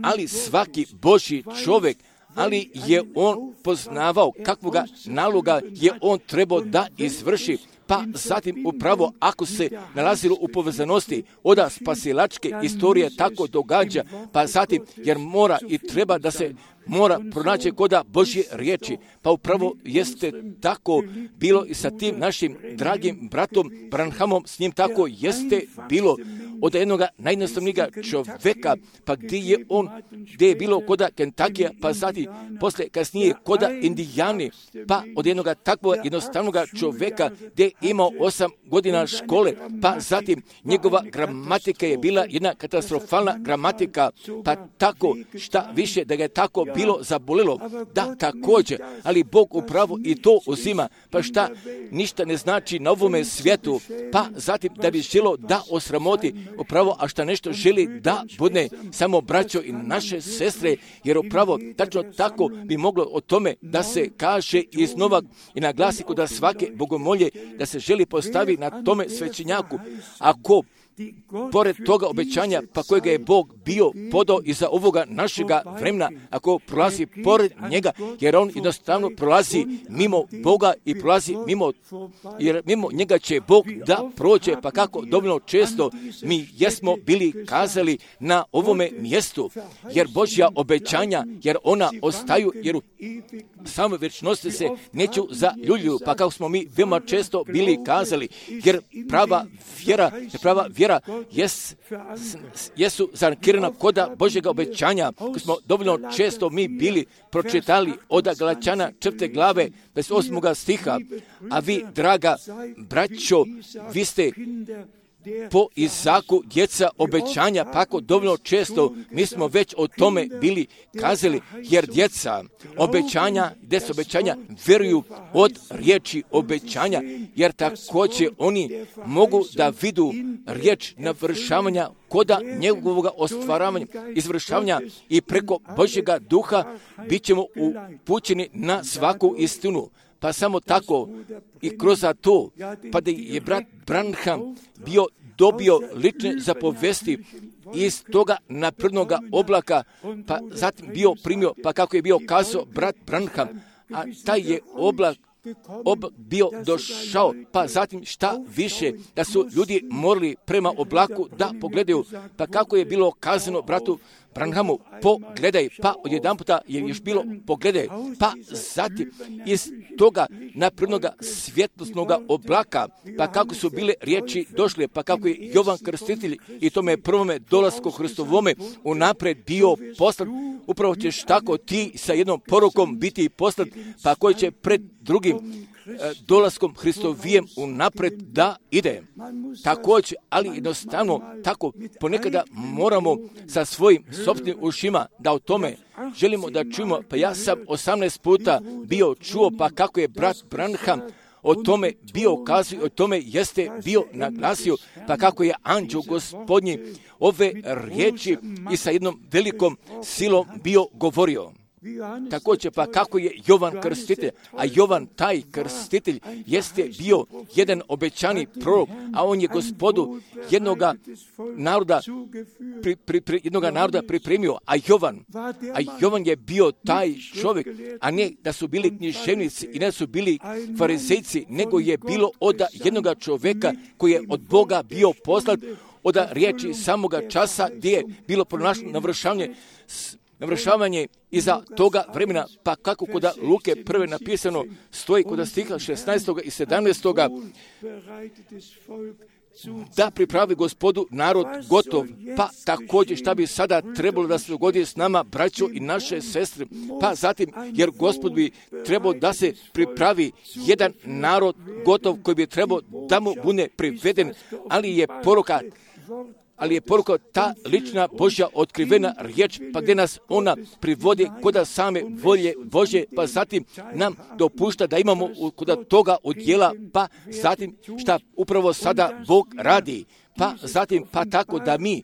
ali svaki Božji čovjek, ali je on poznavao kakvoga naloga je on trebao da izvrši, pa zatim upravo ako se nalazilo u povezanosti od spasilačke istorije tako događa, pa zatim jer mora i treba da se mora pronaći koda Božje riječi, pa upravo jeste tako bilo i sa tim našim dragim bratom Branhamom, s njim tako jeste bilo od jednoga najjednostavnijega čovjeka, pa gdje je bilo koda Kentakija, pa zatim posle kasnije koda Indijani, pa od jednoga takvog jednostavnog čovjeka gdje je imao 8 godina škole, pa zatim njegova gramatika je bila jedna katastrofalna gramatika, pa tako šta više da ga je tako bilo zabolilo, da također, ali Bog upravo i to uzima, pa šta ništa ne znači na ovome svijetu, pa zatim da bi želo da osramoti upravo, a šta nešto želi da bude samo braćo i naše sestre, jer upravo tačno tako bi moglo o tome da se kaže iznova i naglasi kod svake bogomolje da se želi postavi na tome svećenjaku. Ako pored toga obećanja, pa kojega je Bog bio podao iza ovoga našega vremena, ako prolazi pored njega, jer on jednostavno prolazi mimo Boga i prolazi jer mimo njega će Bog da prođe, pa kako dovoljno često mi jesmo bili kazali na ovome mjestu, jer Božja obećanja, jer ona ostaju, jer u samoj vječnosti se neću zaljubljuju, pa kako smo mi veoma često bili kazali, jer prava vjera jesu zankirana koda Božjega obećanja, koji smo dovoljno često mi bili pročitali od Galačana 4. glave, 28. stiha, a vi, draga braćo, vi ste po Izaku djeca obećanja, pa ako dovoljno često mi smo već o tome bili kazali, jer djeca obećanja vjeruju od riječi obećanja, jer također oni mogu da vidu riječ navršavanja koda njegovog ostvaravanja, izvršavanja i preko Božjega duha bit ćemo upućeni na svaku istinu. Pa samo tako i kroz to, pa da je brat Branham dobio lične zapovesti iz toga naprednoga oblaka, pa zatim bio primio, pa kako je bio kazao brat Branham, a taj je oblak bio došao, pa zatim šta više, da su ljudi morali prema oblaku da pogledaju, pa kako je bilo kazano bratu Branhamu, pogledaj, pa odjedanputa je još bilo pogledaj, pa zatim iz toga naprednoga svjetlosnoga oblaka, pa kako su bile riječi došle, pa kako je Jovan Krstitelj i tome prvome dolasku Hristovome unaprijed bio poslan, upravo ćeš tako ti sa jednom porukom biti poslan, pa koji će pred drugim dolaskom Hristovijem unaprijed da ide. Također, ali jednostavno tako ponekada moramo sa svojim sopstvenim ušima da o tome želimo da čujemo. Pa ja sam 18 puta bio čuo, pa kako je brat Branham o tome bio kazao, o tome jeste bio naglasio, pa kako je anđeo Gospodnji ove riječi i sa jednom velikom silom bio govorio. Također, pa kako je Jovan Krstitelj, a Jovan taj Krstitelj jeste bio jedan obećani prorok, a on je Gospodu jednoga naroda pripremio, a Jovan je bio taj čovjek, a ne da su bili književnici i ne da su bili farizejci, nego je bilo od jednoga čovjeka koji je od Boga bio poslat, od riječi samoga časa gdje je bilo pronašlo navršavanje iza toga vremena, pa kako kod Luke prve napisano stoji kod stiha 16. i 17. da pripravi Gospodu narod gotov, pa također šta bi sada trebalo da se dogodi s nama, braćo i naše sestre, pa zatim, jer Gospod bi trebao da se pripravi jedan narod gotov koji bi trebao da mu bude priveden, ali je poruka ta lična Božja otkrivena riječ, pa gdje nas ona privodi kod same volje Božje, pa zatim nam dopušta da imamo kod toga udjela, pa zatim šta upravo sada Bog radi. Pa zatim, pa tako da mi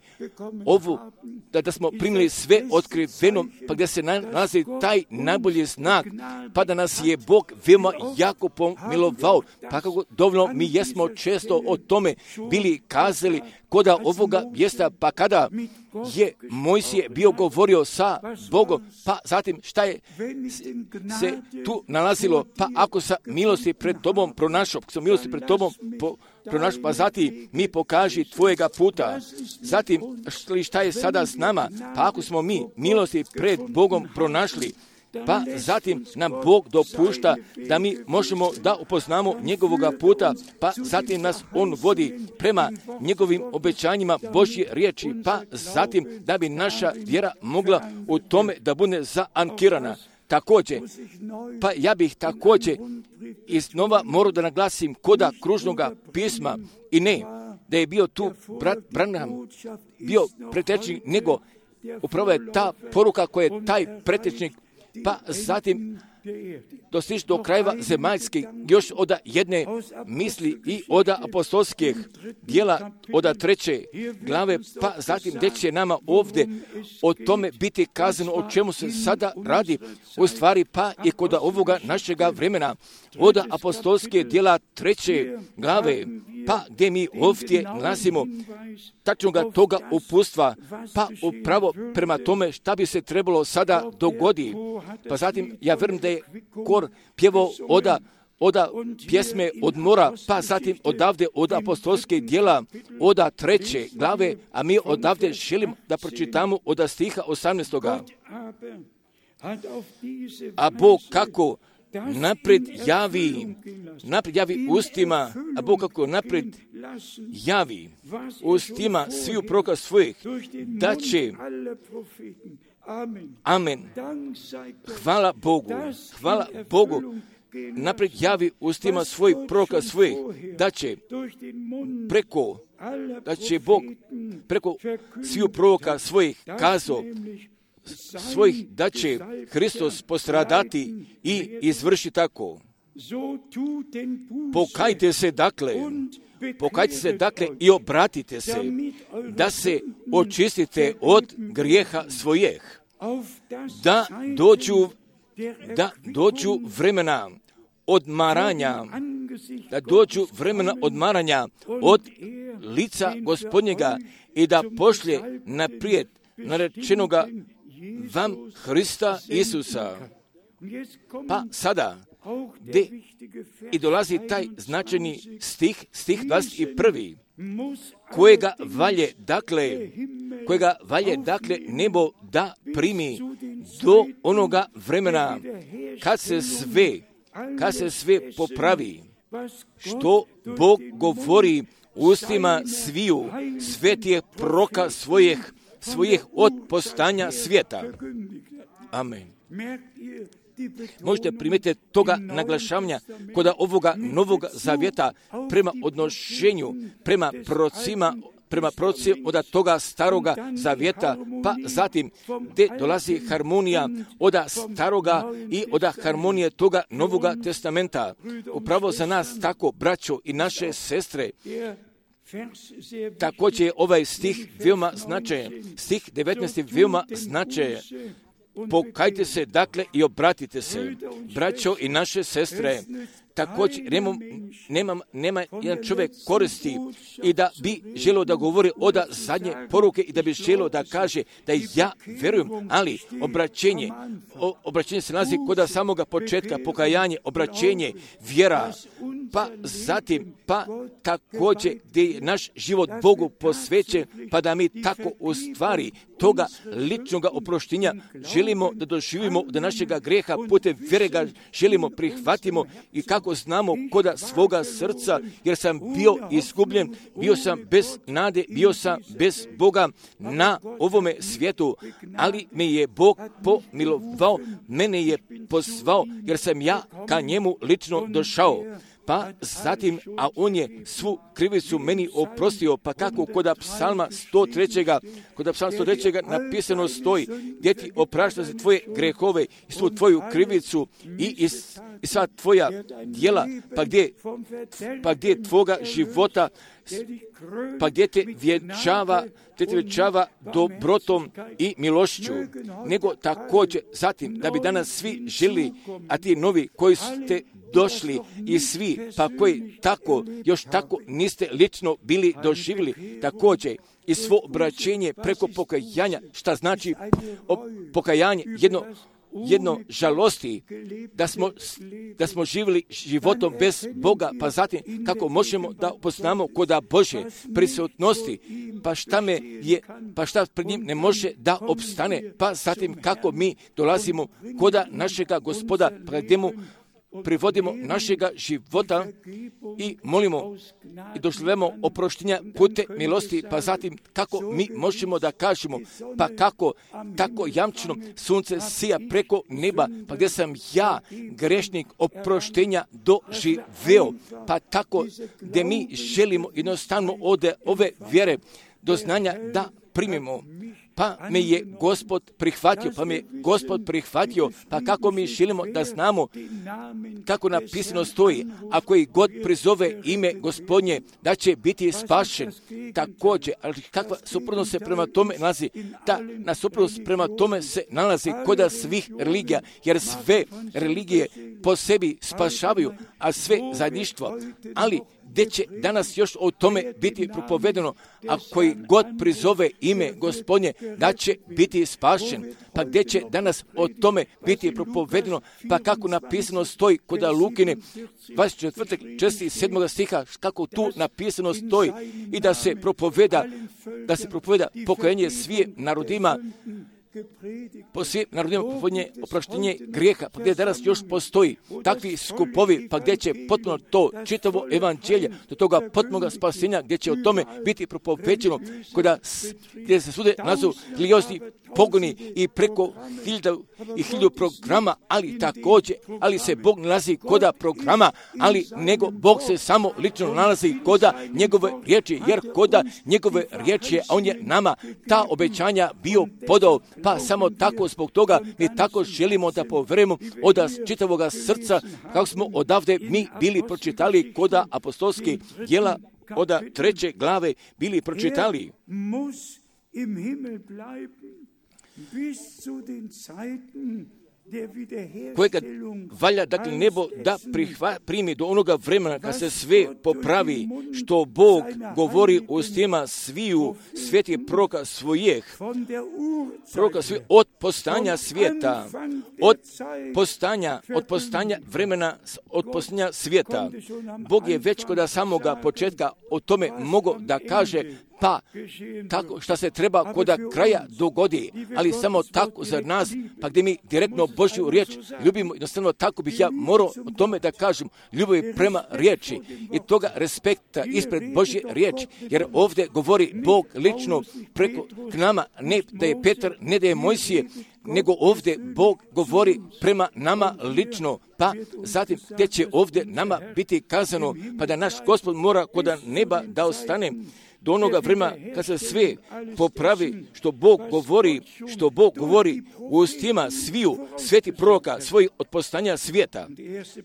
da smo primili sve otkriveno, pa gdje se nalazi taj najbolji znak, pa da nas je Bog veoma jako pomilovao, pa kako dovoljno mi jesmo često o tome bili kazali koda ovoga mjesta, pa kada je Mojsije bio govorio sa Bogom, pa zatim šta je se tu nalazilo, pa ako sam milosti pred tobom pronašao, pa zatim mi pokaži tvojega puta. Zatim šta je sada s nama, pa ako smo mi milosti pred Bogom pronašli, pa zatim nam Bog dopušta da mi možemo da upoznamo njegovoga puta, pa zatim nas on vodi prema njegovim obećanjima Božje riječi, pa zatim da bi naša vjera mogla u tome da bude zaankirana. Također, pa ja bih također iznova morao da naglasim koda kružnoga pisma i ne da je bio tu brat Branham bio pretečnik, nego upravo je ta poruka koja je taj pretečnik, pa zatim dostići do krajeva zemaljskih, još od jedne misli i od apostolskih dijela od 3. glave, pa zatim gdje će nama ovdje o tome biti kazano o čemu se sada radi, u stvari pa i kod ovoga našega vremena, od apostolske dijela 3. glave, pa gdje mi ovdje nalazimo tačnoga toga upustva, pa upravo prema tome šta bi se trebalo sada dogodi. Pa zatim ja vjerujem da je kor pjevao oda pjesme od mora, pa zatim odavde od apostolske djela, oda 3. glave, a mi odavde želimo da pročitamo od stiha 18. A Bog kako napred javi ustima, a Bog kako napred javi ustima sviju proroka svojih, da će, amen, hvala Bogu, napred javi ustima svojih proroka svojih, da će Bog preko sviju proroka svojih kazao, svojih da će Hristos postradati i izvrši tako. Pokajte se dakle i obratite se, da se očistite od grijeha svojih, da dođu vremena odmaranja od lica Gospodnjega i da pošlje naprijed narečenoga vam Hrista Isusa. Pa sada, gdje i dolazi taj značajni stih 21. kojega valje nebo da primi do onoga vremena kad se sve popravi, što Bog govori ustima sviju svetih proroka svojih od postanja svijeta. Amen. Možete primijetiti toga naglašavanja kod ovoga novog zavjeta prema odnošenju, prema prorocima od toga staroga zavjeta, pa zatim gdje dolazi harmonija od staroga i od harmonije toga novoga testamenta. Upravo za nas tako, braćo i naše sestre, također je ovaj stih veoma značajan. Stih 19. veoma značajan. Pokajte se dakle i obratite se, braćo i naše sestre. Također nema jedan čovjek koristi i da bi želio da govori od zadnje poruke i da bi želio da kaže da ja vjerujem, ali obraćenje se nalazi kod samoga početka, pokajanje, obraćenje, vjera, pa zatim, pa također gdje je naš život Bogu posvećen, pa da mi tako u stvari toga ličnoga oproštenja želimo da doživimo da našega greha putem vjere ga želimo prihvatimo i kako znamo koda svoga srca, jer sam bio izgubljen, bio sam bez nade, bio sam bez Boga na ovome svijetu, ali me je Bog pomilovao, mene je pozvao, jer sam ja ka njemu lično došao. Pa zatim, a on je svu krivicu meni oprostio, pa kako kod psalma 103. napisano stoji, gdje ti oprašta za tvoje grehove i svu tvoju krivicu i sva tvoja djela, pa gdje tvoga života, pa gdje te vjenčava dobrotom i milošću, nego također zatim da bi danas svi žili, a ti novi koji ste došli i svi, pa koji još tako niste lično bili doživjeli, također i svo obraćenje preko pokajanja, šta znači pokajanje, jedno žalosti da smo živjeli životom bez Boga, pa zatim kako možemo da poznamo koda Bože prisutnosti, pa šta pred njim ne može da opstane, pa zatim kako mi dolazimo koda našega Gospoda, pred mu privodimo našega života i molimo i doživljamo oproštenja putem milosti, pa zatim kako mi možemo da kažemo, pa kako tako jamčeno sunce sija preko neba, pa gdje sam ja grešnik oproštenja doživeo, pa tako gdje mi želimo jednostavno od ove vjere do znanja da primimo. Pa me je Gospod prihvatio, pa kako mi želimo da znamo kako napisano stoji, ako i god prizove ime Gospodnje, da će biti spašen. Također, ali kakva suprotnost se prema tome nalazi? Ta nasuprotnost prema tome se nalazi kod svih religija, jer sve religije po sebi spašavaju, a sve zajedništvo. Ali gdje će danas još o tome biti propovedano, a koji god prizove ime Gospodnje, da će biti spašen. Pa gdje će danas o tome biti propovedano, pa kako napisano stoji kod Lukine 24. 6. i 7. stiha, kako tu napisano stoji, i da se propoveda pokajanje svim narodima, po svim narodima oproštenje grijeha, pa gdje danas još postoji takvi skupovi, pa gdje će potpuno to čitavo evanđelje do toga potpunog spasenja, gdje će o tome biti propoveđeno, gdje se svude nazovu religiozni pogoni i preko 1000 programa, ali se Bog nalazi koda programa, ali nego Bog se samo lično nalazi koda njegove riječi, jer koda njegove riječi, a on je nama ta obećanja bio podao, pa samo tako zbog toga mi tako želimo da poverujemo od čitavoga srca, kako smo odavde mi bili pročitali koda apostolskih djela od 3. glave bili pročitali. Kojega valja, dakle, nebo da primi do onoga vremena kad se sve popravi, što Bog govori u ustima sviju svetih proroka svojih, od postanja svijeta, od postanja vremena, od postanja svijeta. Bog je već kod samoga početka o tome mogao da kaže, pa tako šta se treba kod kraja dogodi, ali samo tako za nas, pa gdje mi direktno Božju riječ ljubimo, jednostavno tako bih ja morao o tome da kažem, ljubavi prema riječi i toga respekta ispred Božje riječi, jer ovdje govori Bog lično preko k nama, ne da je Petar, ne da je Mojsije, nego ovdje Bog govori prema nama lično, pa zatim gdje će ovdje nama biti kazano, pa da naš Gospod mora kod neba da ostane do onoga vremena kad se sve popravi, što Bog govori u ustima sviju sveti proroka svojih od postanja svijeta.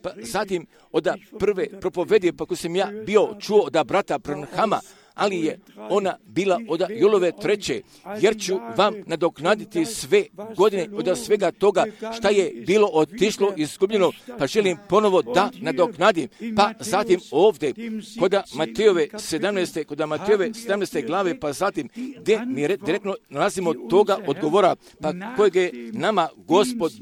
Pa zatim od prve propovedi, pa ko sam ja bio čuo od brata Branhama, ali je ona bila od Jolove 3. jer ću vam nadoknaditi sve godine od svega toga šta je bilo otišlo izgubljeno, pa želim ponovo da nadoknadim. Pa zatim ovdje kod Matejove 17. glave, pa zatim gdje mi direktno nalazimo toga odgovora, pa kojeg je nama Gospod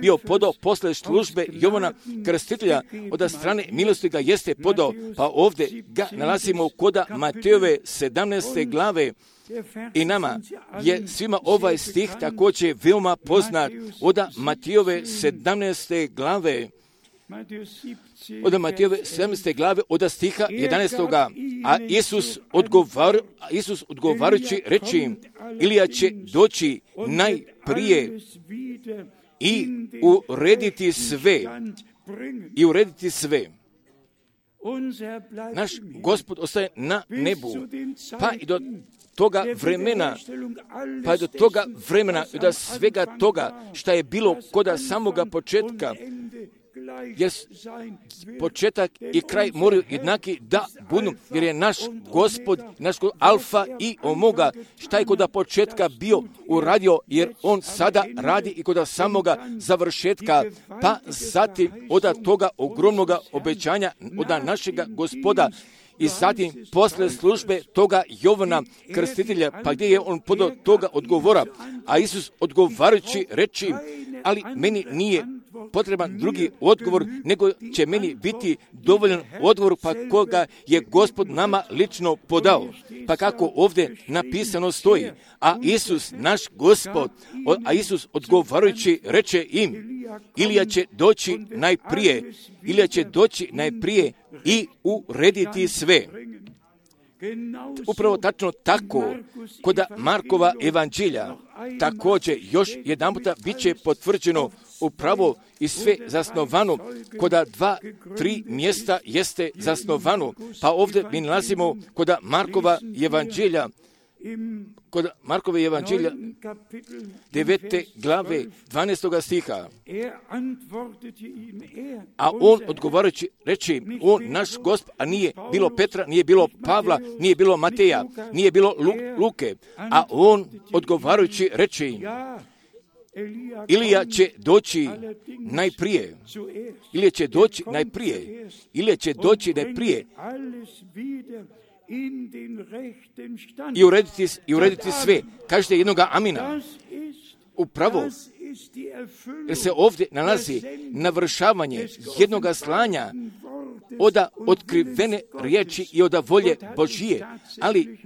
bio podao posle službe Jovana Krstitelja, od strane milosti ga jeste podao, pa ovdje ga nalazimo kod Matejove 17. glave. I nama je svima ovaj stih također veoma poznat od Matejove 17. glave. Od Matejove 17. glave od stiha 11. A Isus odgovarajući reči, Ilija će doći najprije i urediti sve. Naš Gospod ostaje na nebu, pa i do toga vremena, i do svega toga šta je bilo kod samoga početka, jer početak i kraj moraju jednaki da budu, jer je naš Gospod alfa i omega, šta je kod početka bio uradio, jer on sada radi i kod samoga završetka, pa zatim od toga ogromnoga obećanja od našega Gospoda, i zatim posle službe toga Jovana Krstitelja, pa gdje je on podao toga odgovora, a Isus odgovarajući reči, ali meni nije potreban drugi odgovor, nego će meni biti dovoljan odgovor, pa koga je Gospod nama lično podao. Pa kako ovdje napisano stoji, a Isus, naš Gospod, odgovarajući reče im, Ilija će doći najprije i urediti sve. Upravo tačno tako, kod Markova evanđelja, također još jedan puta bit će potvrđeno upravo i sve zasnovano, kod 2-3 mjesta jeste zasnovano, pa ovdje mi nalazimo kod Markova evanđelja, 9. glave 12. stiha. A on odgovarajući reči, on naš Gospod, a nije bilo Petra, nije bilo Pavla, nije bilo Mateja, nije bilo Luke, a on odgovarajući reči, Ilija će doći najprije, ili će doći najprije, ili će doći najprije i urediti sve. Kažete jednoga amina. Upravo, jer se ovdje nalazi navršavanje jednoga slanja oda otkrivene riječi i oda volje Božije, ali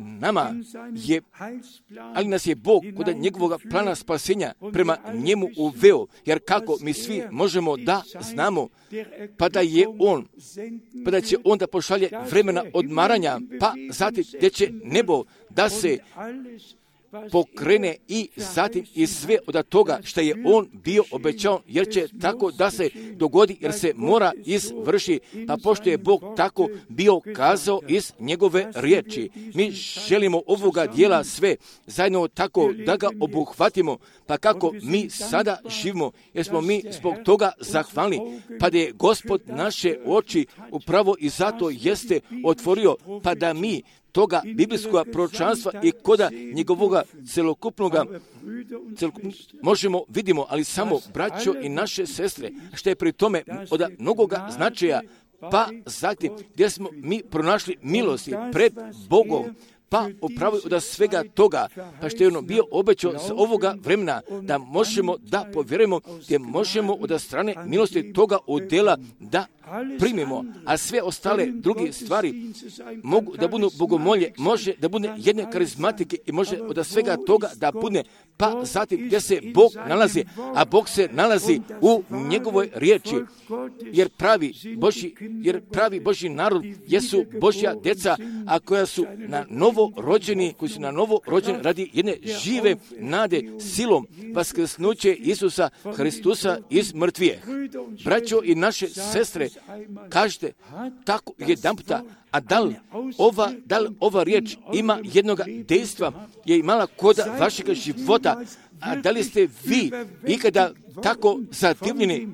nas je Bog kod njegovog plana spasenja prema njemu uveo, jer kako mi svi možemo da znamo, pa da će on da pošalje vremena odmaranja, pa zatim gdje će nebo da se pokrene i zatim i sve od toga što je on bio obećao, jer će tako da se dogodi, jer se mora izvrši, pa pošto je Bog tako bio kazao iz njegove riječi. Mi želimo ovoga dijela sve zajedno tako da ga obuhvatimo, pa kako mi sada živimo, jer smo mi zbog toga zahvalni, pa da je Gospod naše oči upravo i zato jeste otvorio, pa da mi toga biblijskog proročanstva i koda njegovoga celokupnoga možemo vidimo, ali samo braćo i naše sestre, što je pri tome od mnogoga značaja, pa zatim gdje smo mi pronašli milosti pred Bogom, pa upravo od svega toga, pa što je ono bio obećao s ovoga vremena, da možemo da povjerujemo, gdje možemo od strane milosti toga udjela da primimo, a sve ostale druge stvari mogu da budu bogomolje, može da bude jedne karizmatike i može od svega toga da bude, pa zatim gdje se Bog nalazi, a Bog se nalazi u njegovoj riječi, jer pravi Božji narod jesu Božja djeca, a koja su na novo rođeni, radi jedne žive nade silom vaskrsnuće Isusa Hristusa iz mrtvije. Braćo i naše sestre, kažete tako jedanputa, a da li ova riječ ima jednog dejstva, je imala kod vašeg života, a da li ste vi ikada tako zadivljeni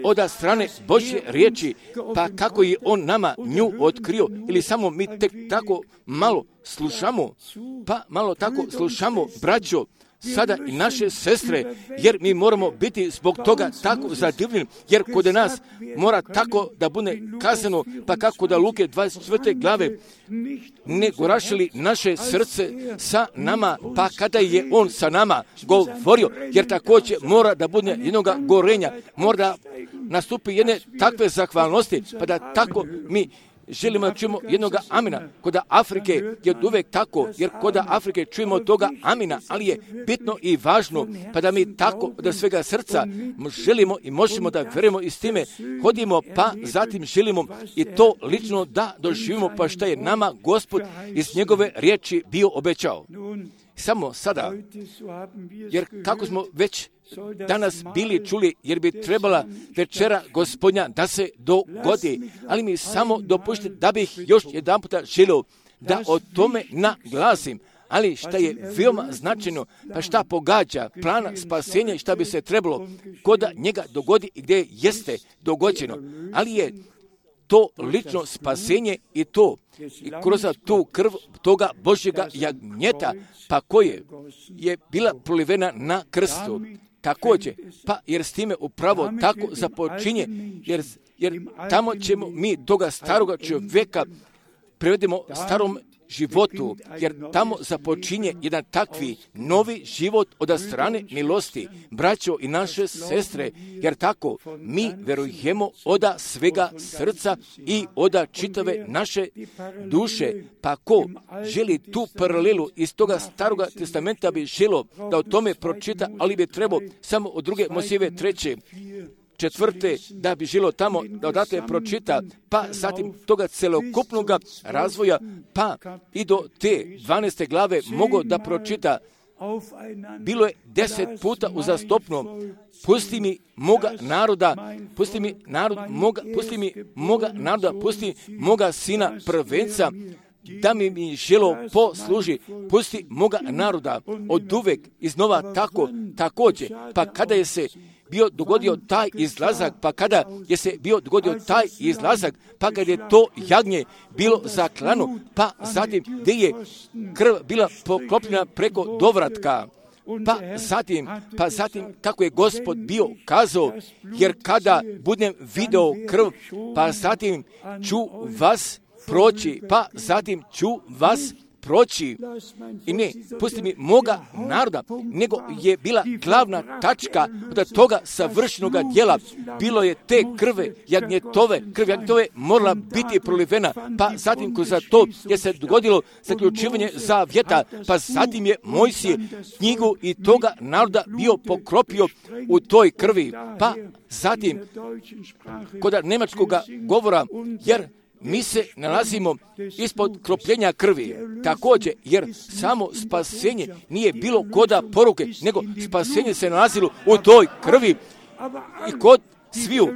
oda strane Božje riječi, pa kako je on nama nju otkrio, ili samo mi tek tako malo slušamo, braćo, sada i naše sestre, jer mi moramo biti zbog toga tako zadivljeni, jer kod nas mora tako da bude kazano, pa kako da Luke 24. glave ne gorašili naše srce sa nama, pa kada je on sa nama govorio, jer također mora da bude jednoga gorenja, mora da nastupi jedne takve zahvalnosti, pa da tako mi želimo da čujemo jednoga amina. Kod Afrike je uvijek tako, jer kod Afrike čujemo toga amina, ali je bitno i važno, pa da mi tako da svega srca želimo i možemo da vjerujemo i s time hodimo, pa zatim želimo i to lično da doživimo, pa šta je nama Gospod iz njegove riječi bio obećao. Samo sada, jer kako smo već danas bili čuli, jer bi trebala večera Gospodnja da se dogodi, ali mi samo dopušite da bih još jedan puta želio da o tome naglasim, ali šta je veoma značajno, pa šta pogađa plana spasenja i šta bi se trebalo kod njega dogodi i gdje jeste dogođeno, ali je to lično spasenje i kroz tu krv toga Božjega jagnjeta, pa koje je bila prolivena na krstu. Također, pa jer s time upravo tako započinje, jer tamo ćemo mi toga staroga čovjeka prevedemo starom životu, jer tamo započinje jedan takvi novi život od strane milosti, braćo i naše sestre, jer tako mi verujemo od svega srca i od čitave naše duše. Pa ko želi tu paralelu iz toga staroga testamenta bi želio da o tome pročita, ali bi trebao samo od 2. Mojsijeve 3. 4. da bi želo tamo da odatle pročita, pa zatim toga celokupnog razvoja, pa i do te 12. glave mogo da pročita. Bilo je 10 puta uzastopno, pusti mi moga naroda, pusti moga sina prvenca, da mi želo posluži, pusti moga naroda, od uvek iznova također, pa kada je se bio dogodio taj izlazak, pa kad je to jagnje bilo zaklano, pa zatim gdje je krv bila poklopljena preko dovratka, pa zatim kako je Gospod bio kazao, jer kada budem video krv, pa zatim ću vas proći, pa zatim ću vas proći. I ne, pusti mi moga naroda, nego je bila glavna tačka od toga savršenoga djela. Bilo je te krv jagnjetove morala biti prolivena, pa zatim kroz to je se dogodilo zaključivanje zavjeta, pa zatim je Mojsije knjigu i toga naroda bio pokropio u toj krvi, pa zatim kod nemačkog govora, jer mi se nalazimo ispod kropljenja krvi, također, jer samo spasenje nije bilo koda poruke, nego spasenje se nalazilo u toj krvi i kod sviju,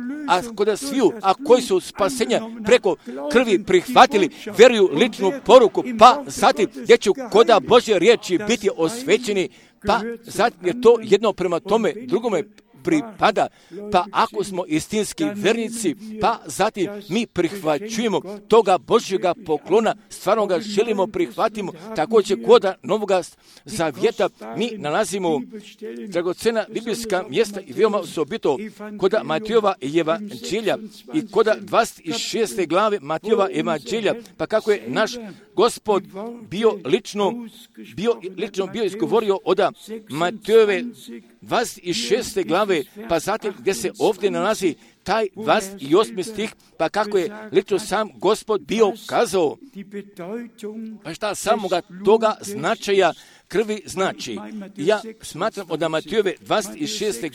a koji su spasenja preko krvi prihvatili, vjeruju ličnu poruku, pa zatim gdje će koda Božje riječi biti osvećeni, pa zatim je to jedno prema tome drugome pripada, pa ako smo istinski vernici, pa zatim mi prihvaćujemo toga Božjega poklona, stvarno ga želimo prihvatimo, također koda Novoga zavjeta mi nalazimo dragocena biblijska mjesta i veoma osobito koda Matejova evanđelja i koda 26. glave Matejova evanđelja, pa kako je naš Gospod bio lično izgovorio od Matejove 26. glave, pa zatim gdje se ovdje nalazi taj 28. stih, pa kako je lično sam Gospod bio kazao, pa šta samoga toga značaja krvi znači. Ja smatram od Matejove 26.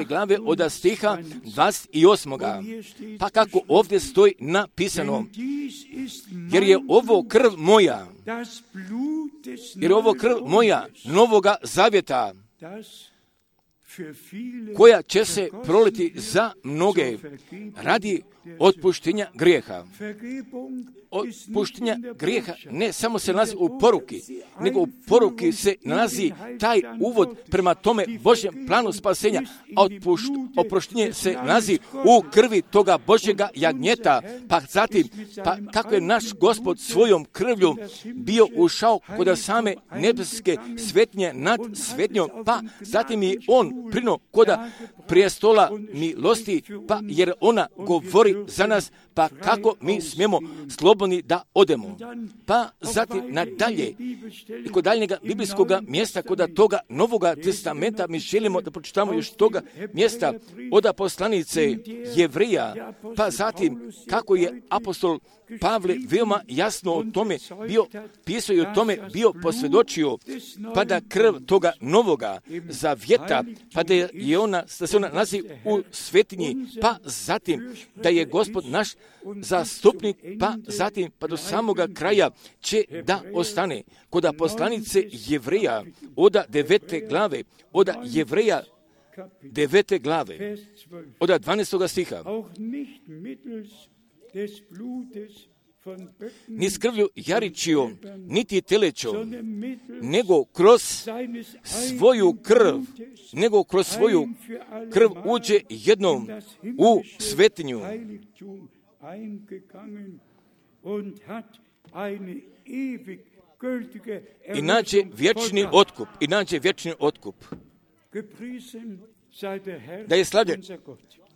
glave, od stiha 28. Pa kako ovdje stoji napisano, jer je ovo krv moja novoga zavjeta, koja će se proliti za mnoge radi otpuštenja grijeha. Otpuštenja grijeha ne samo se nalazi u poruki, nego u poruki se nalazi taj uvod prema tome Božjem planu spasenja, a oproštenje se nalazi u krvi toga Božjega jagnjeta, pa zatim, pa kako je naš Gospod svojom krvlju bio ušao kod same nebeske svetnje nad svetnjom, pa zatim je on prino koda prijestola milosti, pa jer ona govori za nas, pa kako mi smijemo slobodni da odemo. Pa zatim nadalje i kod daljnjega biblijskog mjesta, kod toga Novoga testamenta, mi želimo da pročitamo još toga mjesta od poslanice Jevrija, pa zatim kako je apostol Pavle veoma jasno o tome bio pisao i o tome bio posvjedočio, pa da krv toga novoga zavjeta, pa da se ona nalazi u svetinji, pa zatim da je Gospod naš zastupnik, pa zatim pa do samoga kraja će da ostane. Kod poslanice Jevrija od 9. glave, od Jevrija 9. glave, od 12. stiha. Ni s krvlju jaričijom, niti telećom, nego kroz svoju krv uđe jednom u svetinju. I nađe vječni otkup. Da je slavljen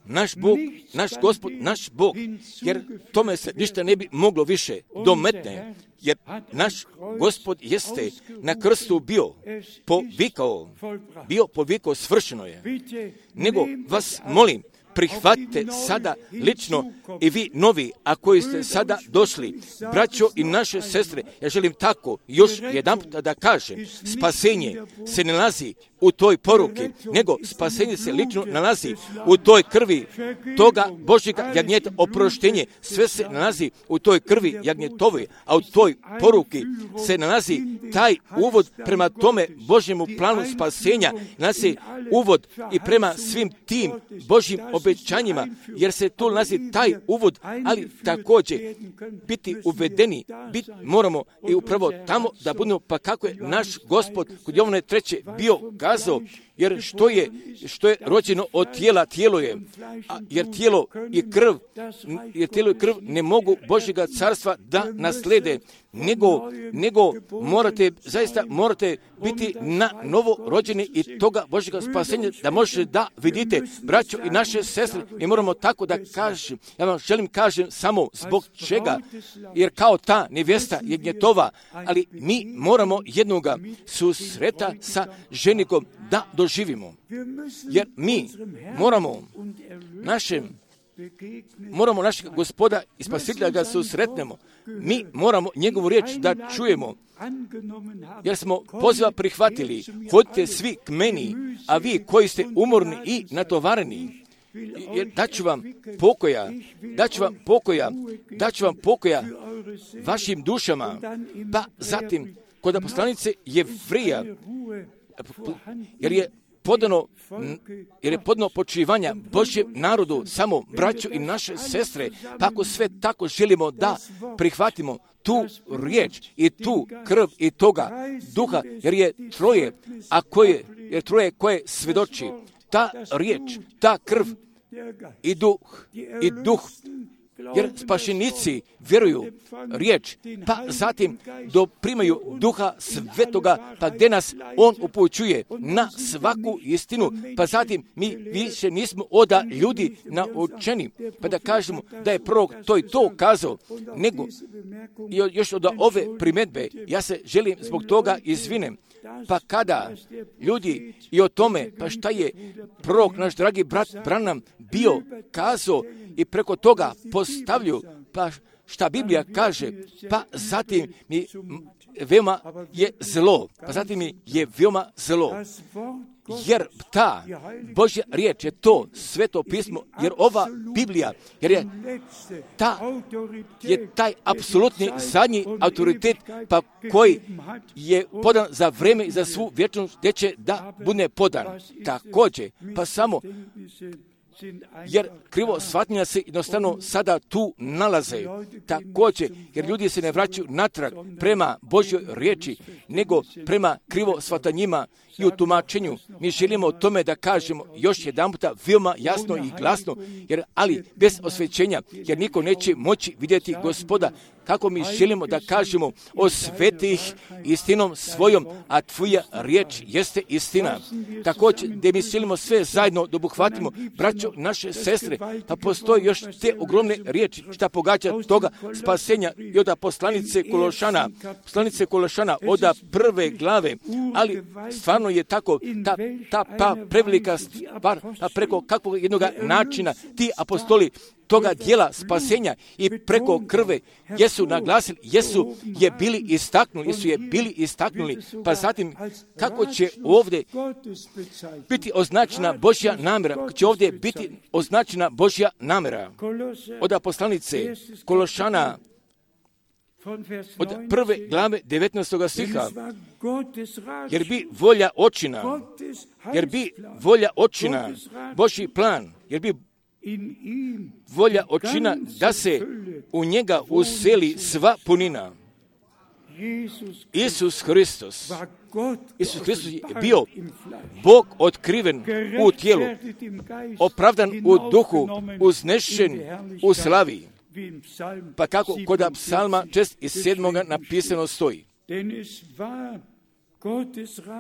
naš Bog, naš Gospod, naš Bog, jer tome se ništa ne bi moglo više dometne, jer naš Gospod jeste na krstu bio povikao, svršeno je. Nego vas molim, prihvatite sada lično i vi novi, a koji ste sada došli, braćo i naše sestre, ja želim tako još jedanput da kažem, spasenje se ne nalazi u toj poruki, nego spasenje se lično nalazi u toj krvi toga Božjega jagnjeta, oproštenje, sve se nalazi u toj krvi jagnjetove, a u toj poruki se nalazi taj uvod prema tome Božjemu planu spasenja, nalazi uvod i prema svim tim Božjim obećanjima, jer se tu nalazi taj uvod, ali također biti uvedeni, moramo i upravo tamo da budemo, pa kako je naš Gospod kod Jovane 3. bio kazao, Jer što je rođeno od tijela, tijelo je. Jer tijelo i krv ne mogu Božjega carstva da naslede, nego morate biti na novo rođeni i toga Božjega spasenja da možete da vidite, braćo i naše sestre, mi moramo tako da kažem. Ja vam želim kažem samo zbog čega, jer kao ta nevjesta je gnjetova, ali mi moramo jednoga susreta sa ženikom da doživimo. Jer mi moramo našeg Gospoda i Spasitelja ga susretnemo. Mi moramo njegovu riječ da čujemo. Jer smo poziva prihvatili. Hodite svi k meni, a vi koji ste umorni i natovareni, jer daću vam pokoja vašim dušama. Pa zatim, kod poslanice Jevrija, jer je podano počivanja Božjem narodu, samo braću i naše sestre, pa ako sve tako želimo da prihvatimo tu riječ i tu krv i toga duha, jer je troje koje svjedoči, ta riječ, ta krv i duh, jer spašenici vjeruju riječ, pa zatim primaju duha svetoga, pa gdje nas on upućuje na svaku istinu, pa zatim mi više nismo oda ljudi naučeni, pa da kažemo da je prorok to i to kazao, nego još od ove primjedbe, ja se želim zbog toga izvinem. Pa kada ljudi i o tome, pa šta je prorok, naš dragi brat Branham bio kazao i preko toga postavljaju, pa šta Biblija kaže, pa zatim mi veoma je zlo. Jer ta Božja riječ je to sveto pismo, jer ova Biblija, jer je taj apsolutni zadnji autoritet, pa koji je podan za vreme i za svu vječnost, gdje će da bude podan. Također, pa samo jer krivo shvatnja se jednostavno sada tu nalaze. Također, jer ljudi se ne vraćaju natrag prema Božjoj riječi, nego prema krivo shvatanjima i u tumačenju. Mi želimo o tome da kažemo još jedanputa veoma jasno i glasno, ali bez osvećenja, jer niko neće moći vidjeti Gospoda. Kako mi želimo da kažemo o svetih istinom svojom, a tvoja riječ jeste istina. Također, gdje mi želimo sve zajedno da obuhvatimo, braćo, naše sestre, pa postoji još te ogromne riječi šta pogađa toga spasenja i od poslanice Kološana, od prve glave, ali stvarno je tako ta prevelika stvar, preko kakvog jednog načina ti apostoli toga dijela spasenja i preko krve jesu naglasili, jesu je bili istaknuli, pa zatim kako će ovdje biti označena Božja namjera, kako će ovdje biti označena Božja namjera. Od poslanice Kološana, od prve glave 19. stiha, jer bi volja očina, Božji plan, jer bi volja očina da se u njega useli sva punina. Isus Hristos je bio Bog otkriven u tijelu, opravdan u duhu, uznešen u slavi. Pa kako kod psalma 67. napisano stoji.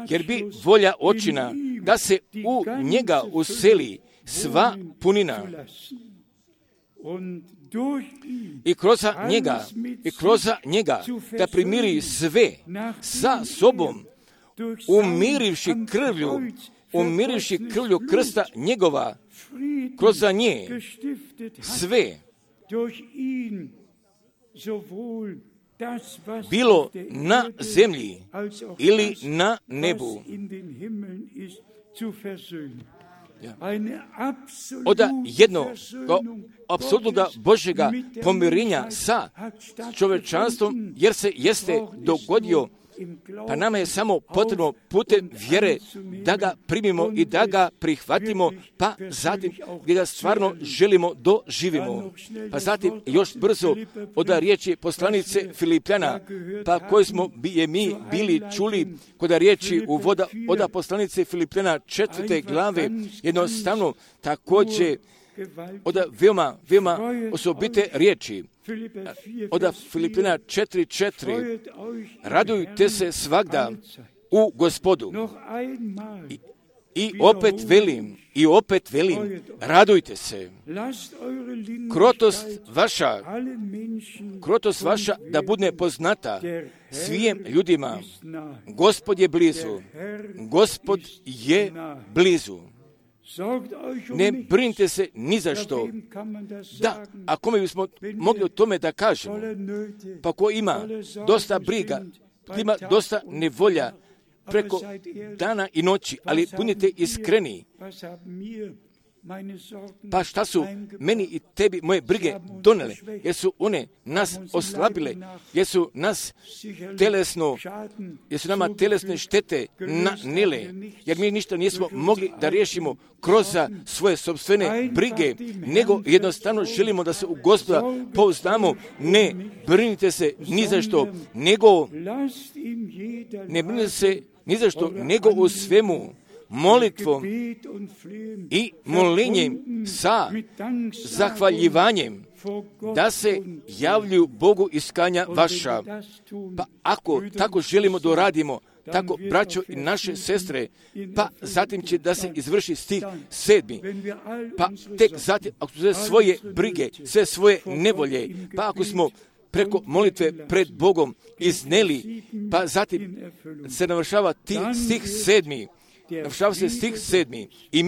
Jer bi volja očina da se u njega useli sva punina i kroz njega da primiri sve sa sobom, umirivši krvlju krsta njegova, kroz nje sve, bilo na zemlji ili na nebu. Od jednog apsolutnog Božjega pomirenja sa čovječanstvom, jer se jeste dogodio Pa nama je samo potrebno putem vjere da ga primimo i da ga prihvatimo, pa zatim gdje ga stvarno želimo doživimo. Pa zatim još brzo od riječi poslanice Filipljana, pa koje smo mi bili čuli kod riječi uvoda od poslanice Filipljana 4. glave, jednostavno također od veoma osobite riječi. Od Filipljana 4.4. Radujte se svagda u Gospodu. I opet velim, radujte se. Krotost vaša da bude poznata svim ljudima. Gospod je blizu. Gospod je blizu. Ne brinite se ni za što. Da, a kome bismo mogli o tome da kažemo? Pa ko ima dosta briga, ima dosta nevolja preko dana i noći, ali budite iskreni. Pa šta su meni i tebi moje brige donele? Jer su one nas oslabile, jer su nama telesne štete nanile, jer mi ništa nismo mogli da riješimo kroz svoje sopstvene brige, nego jednostavno želimo da se u Gospoda pouzdamo. Ne brinite se ni za što, ne brinite se ni za što, nego u svemu molitvom i molinjem sa zahvaljivanjem da se javljuju Bogu iskanja vaša. Pa ako tako želimo da radimo, tako braćo i naše sestre, pa zatim će da se izvrši stih 7. Pa tek zatim, ako su sve svoje brige, sve svoje nevolje, pa ako smo preko molitve pred Bogom izneli, pa zatim se navršava stih 7. Navršava se stih 7. I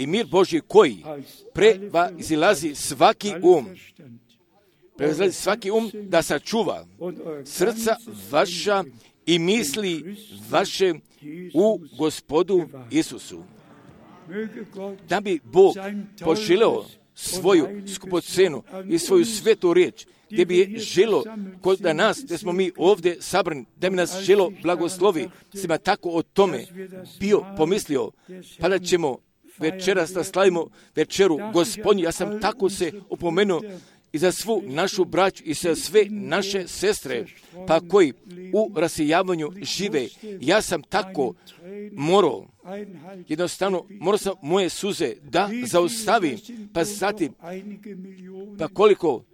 mir Božji koji prevazilazi svaki um, da sačuva srca vaša i misli vaše u Gospodu Isusu. Da bi Bog poželeo svoju skupocenu i svoju svetu riječ, gdje bi je želo kod nas, gdje smo mi ovdje sabrani, da bi nas želo blagoslovi, svima tako o tome bio pomislio, pa da ćemo večeras da slavimo večeru Gospodnju. Ja sam tako se opomenuo i za svu našu braću i za sve naše sestre, pa koji u rasijavanju žive. Ja sam tako morao sam moje suze da zaustavim, pa zatim, pa koliko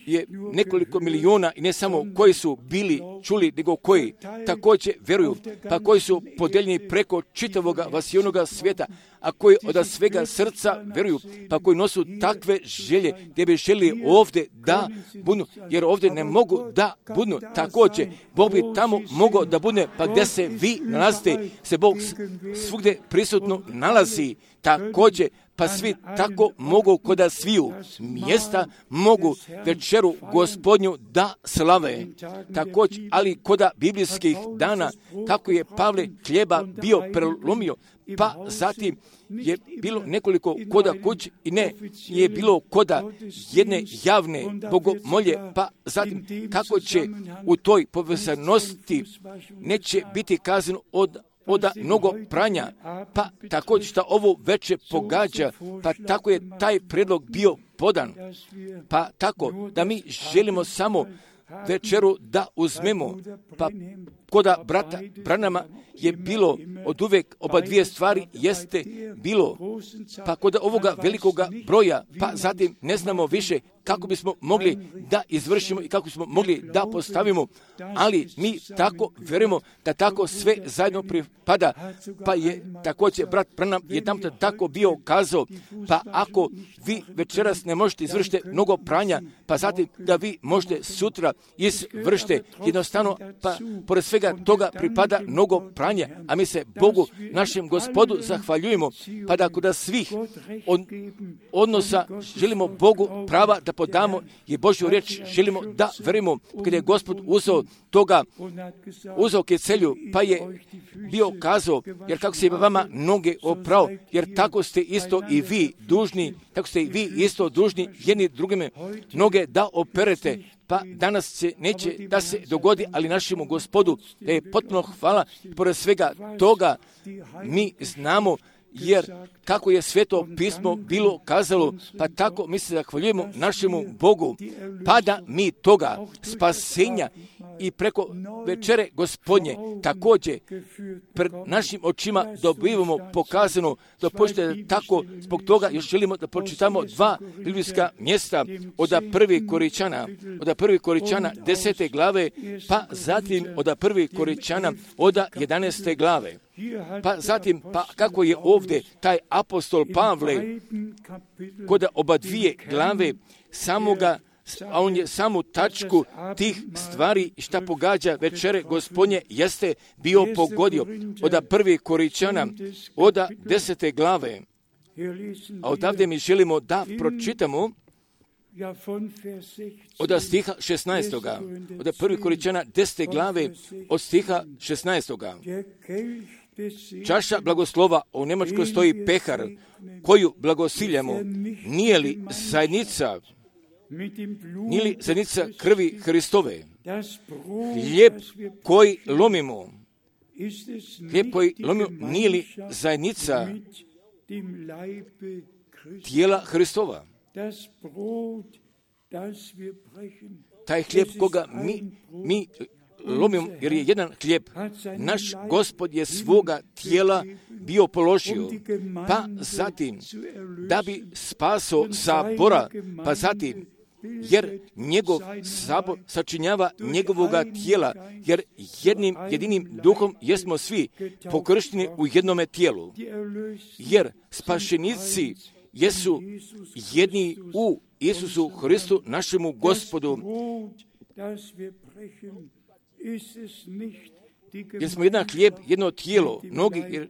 je nekoliko miliona i ne samo koji su bili čuli, nego koji također vjeruju, pa koji su podeljeni preko čitavoga vasionoga svijeta, a koji od svega srca vjeruju, pa koji nosu takve želje gdje bi želi ovdje da budu, jer ovdje ne mogu da budu. Također, Bog bi tamo mogao da bude, pa gdje se vi nalazite, se Bog svugdje prisutno nalazi. Također, pa svi tako mogu koda sviju mjesta mogu večeru Gospodnju da slave. Također, ali koda biblijskih dana, kako je Pavle hljeba bio prelomio, pa zatim je bilo nekoliko koda kući i ne je bilo koda jedne javne bogomolje, pa zatim kako će u toj povezanosti neće biti kazano od mnogo pranja, pa također što ovo veće pogađa, pa tako je taj predlog bio podan. Pa tako da mi želimo samo večeru da uzmemo, pa koda brata Branama je bilo od uvijek oba dvije stvari jeste bilo, pa kod ovoga velikoga broja, pa zatim ne znamo više kako bismo mogli da izvršimo i kako bismo mogli da postavimo, ali mi tako vjerujemo da tako sve zajedno pripada, pa je također brat Branham jedan tako bio kazao, pa ako vi večeras ne možete izvršiti mnogo pranja, pa zatim da vi možete sutra izvršite jednostavno, pa pored svega toga pripada mnogo pranja, a mi se Bogu, našem Gospodu, zahvaljujemo, pa da kod svih odnosa želimo Bogu prava da podamo i Božju riječ želimo da verimo, kada je Gospod uzeo kecelju, pa je bio kazao, jer kako se vama noge oprao, jer tako ste isto i vi dužni, tako ste i vi isto dužni jedni drugime noge da operete. pa danas se neće da se dogodi, ali našemu Gospodu da je potpuno hvala. Pored svega toga mi znamo, jer kako je Sveto pismo bilo kazalo, pa tako mi se zahvaljujemo našemu Bogu, pa da mi toga spasenja i preko večere Gospodnje također pred našim očima dobivamo pokazano, da počnete tako. Zbog toga još želimo da pročitamo 2 biblijska mjesta od 1. Koričana 10. glave, pa zatim od 1. Koričana od 11. glave. Pa zatim, pa kako je ovdje taj apostol Pavle kod oba dvije glave samoga, a on je samu tačku tih stvari šta pogađa večere Gospodnje jeste bio pogodio od 1. Koričana od 10. glave. A odavde mi želimo da pročitamo od stiha 16. Od 1. Koričana 10. glave od stiha 16. Čaša blagoslova, u Njemačkoj stoji pehar, koju blagosiljamo, nije li zajednica krvi Hristove? Hlijeb koji lomimo, nije li zajednica tijela Hristova? Taj hlijeb koga mi lomimo, jer je jedan hlijeb, naš Gospod je svoga tijela bio položio, pa zatim da bi spaso sabora, pa zatim jer njegov sabor sačinjava njegovoga tijela, jer jedinim duhom jesmo svi pokršteni u jednome tijelu, jer spašenici jesu jedni u Isusu Hristu, našemu Gospodu. Jer smo jedan hlijeb, jedno tijelo, mnogi, jer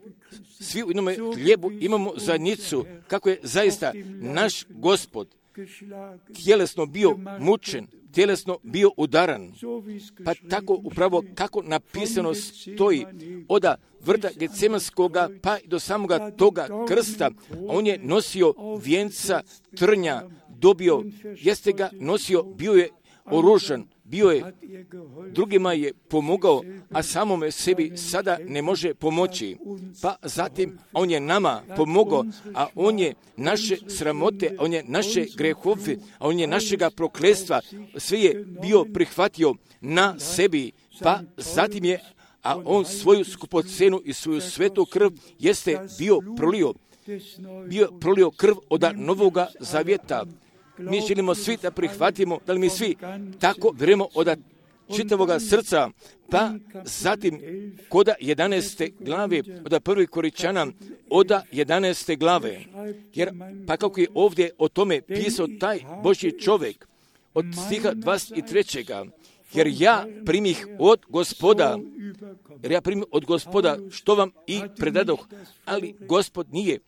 svi u jednome hlijebu imamo zajednicu, kako je zaista naš Gospod tjelesno bio mučen, tjelesno bio udaran. Pa tako upravo kako napisano stoji od vrta Getsemanskoga pa do samoga toga krsta, on je nosio vijenca trnja, dobio, jeste ga nosio, bio je oružan, bio je, drugima je pomogao, a samome sebi sada ne može pomoći. Pa zatim on je nama pomogao, a on je naše sramote, on je naše grehove, a on je našega prokletstva, sve je bio prihvatio na sebi, pa zatim je, a on svoju skupocenu i svoju svetu krv jeste bio prolio krv od Novoga Zavjeta. Mi želimo svi da prihvatimo, da li mi svi tako vjerujemo od čitavoga srca, pa zatim kod 11. glave, od 1. Koričana, od 11. glave, jer pa kako je ovdje o tome pisao taj Božji čovjek, od stiha 23. Jer ja primih od Gospoda, što vam i predadoh, ali Gospod nije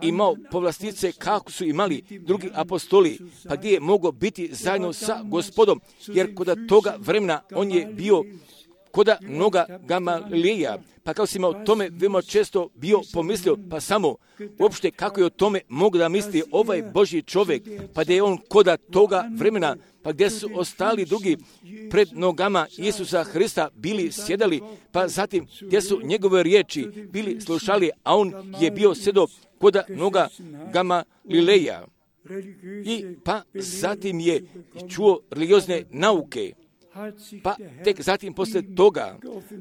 imao povlastice kako su imali drugi apostoli, pa gdje je mogao biti zajedno sa Gospodom, jer kod toga vremena on je bio kod noga Gamalileja, pa kao si imao o tome veoma često bio pomislio, pa samo uopšte kako je o tome mogu da misli ovaj Božji čovjek, pa da je on kod toga vremena, pa gdje su ostali drugi pred nogama Isusa Hrista bili sjedali, pa zatim gdje su njegove riječi bili slušali, a on je bio sjedo kod noga Gamalileja. I pa zatim je čuo religiozne nauke. Pa tek zatim poslije toga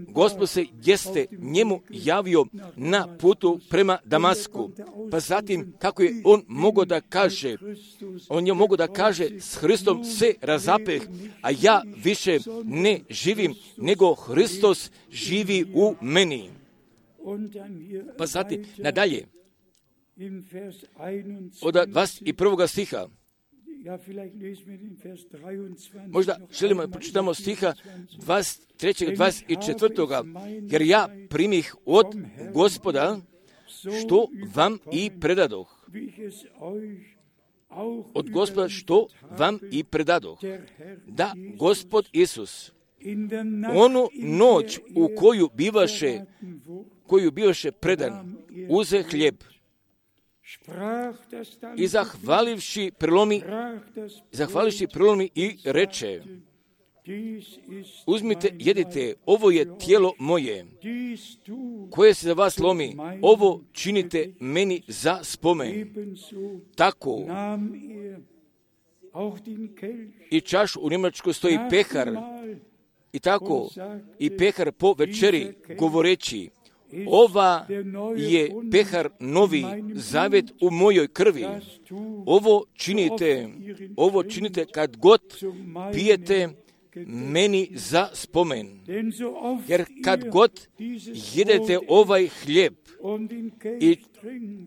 Gospod se jeste njemu javio na putu prema Damasku. Pa zatim kako je on mogao da kaže, s Hristom se razapeh, a ja više ne živim, nego Hristos živi u meni. Pa zatim nadalje od 21. stiha. Možda želimo da pročitamo stiha 23. 24. Jer ja primih od Gospoda što vam i predadoh. Od Gospoda što vam i predadoh. Da Gospod Isus onu noć u koju bivaše predan, uze hljeb, I zahvalivši prelomi i reče: uzmite, jedite, ovo je tijelo moje, koje se za vas lomi, ovo činite meni za spomen. Tako i čašu, u Njemačkoj stoji pehar, i tako i pehar po večeri, govoreći: ova je pehar novi zavjet u mojoj krvi. Ovo činite kad god pijete meni za spomen. Jer kad god jedete ovaj hljeb i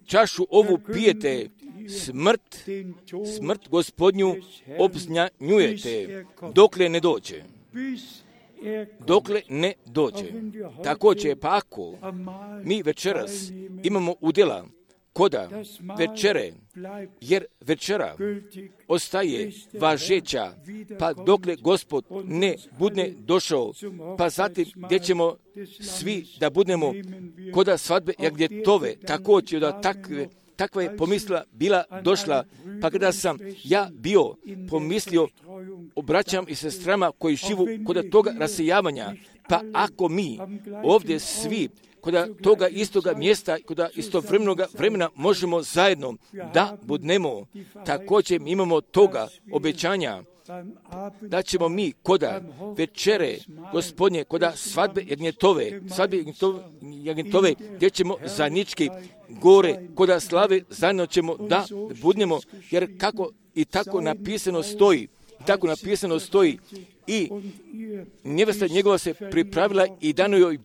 čašu ovu pijete, smrt Gospodnju obznanjujete, dokle ne dođe. Također, pa ako mi večeras imamo udjela koda večere, jer večera ostaje važeća, pa dokle Gospod ne bude došao, pa zatim gdje ćemo svi da budemo koda svadbe Jagnjetove, također da takva je pomisla bila došla, pa kada sam ja bio pomislio, obraćam i sestrama koji živu kod toga rasejavanja, pa ako mi ovdje svi kod toga istoga mjesta, kod istovremenog vremena možemo zajedno da budemo, također imamo toga obećanja, da ćemo mi koda večere Gospodnje, koda svadbe Jagnjetove, gdje ćemo zajednički gore, koda slave zajedno ćemo da budemo, jer kako i tako napisano stoji, i nevesta njegova se pripravila i dano joj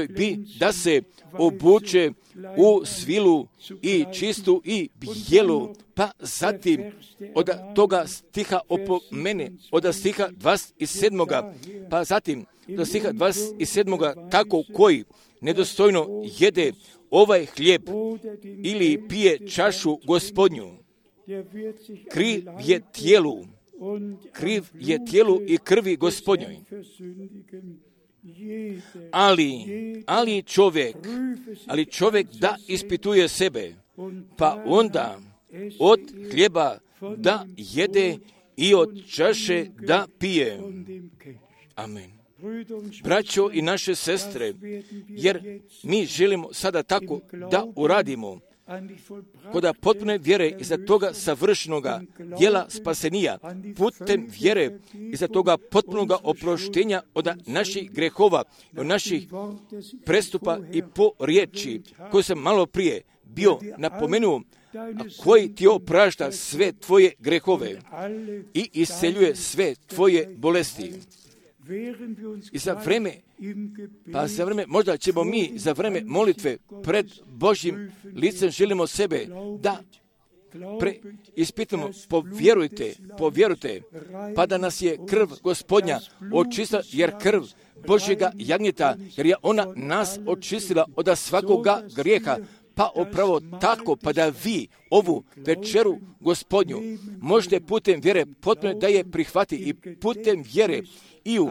bi da se obuče u svilu i čistu i bijelu, pa zatim od toga stiha opomene, od stiha 27. pa zatim do stiha 27. tako koji nedostojno jede ovaj hljeb ili pije čašu Gospodnju, kriv je tijelu i krvi Gospodnjoj. Ali čovjek da ispituje sebe, pa onda od hljeba da jede i od čaše da pije. Amen. Braćo i naše sestre, jer mi želimo sada tako da uradimo, kod potpune vjere iza toga savršenoga djela spasenija, putem vjere iza toga potpunoga oproštenja od naših grehova, od naših prestupa i po riječi, koju sam malo prije bio napomenuo, a koji ti oprašta sve tvoje grehove i isceljuje sve tvoje bolesti. I za vreme, možda ćemo mi za vreme molitve pred Božjim licem želimo sebe da ispitamo, povjerujte, pa da nas je krv Gospodnja očistila, jer krv Božjega jagnjeta, jer je ona nas očistila od svakoga grijeha, pa upravo tako, pa da vi ovu večeru Gospodnju možete putem vjere potpuno da je prihvati i putem vjere i u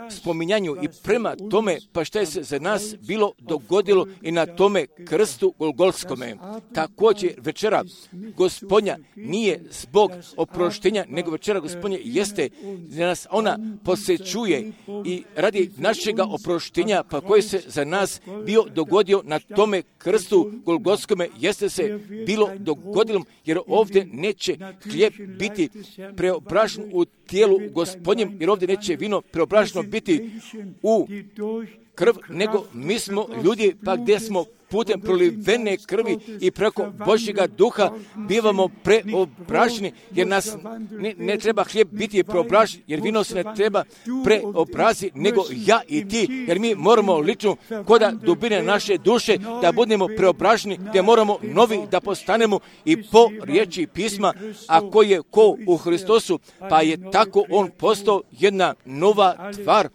spominjanju i prema tome, pa šta je se za nas bilo dogodilo i na tome krstu Golgotskome. Također večera Gospodnja nije zbog oproštenja, nego večera Gospodnja jeste da nas ona posjećuje i radi našega oproštenja, pa koji se za nas bio dogodio na tome krstu Golgotskome, jeste se bilo dogodilo, jer ovdje neće hljeb biti preobražen u tijelu Gospodnjem, jer ovdje neće vino preobraženo biti u krv, nego mi smo ljudi, pa gdje smo putem prolivene krvi i preko Božjega duha bivamo preobraženi, jer nas ne treba hljeb biti preobražen, jer vino se ne treba preobraziti, nego ja i ti, jer mi moramo lično koda dubine naše duše da budemo preobraženi, gdje moramo novi da postanemo i po riječi pisma, a ko je ko u Hristosu, pa je tako on postao jedna nova tvar.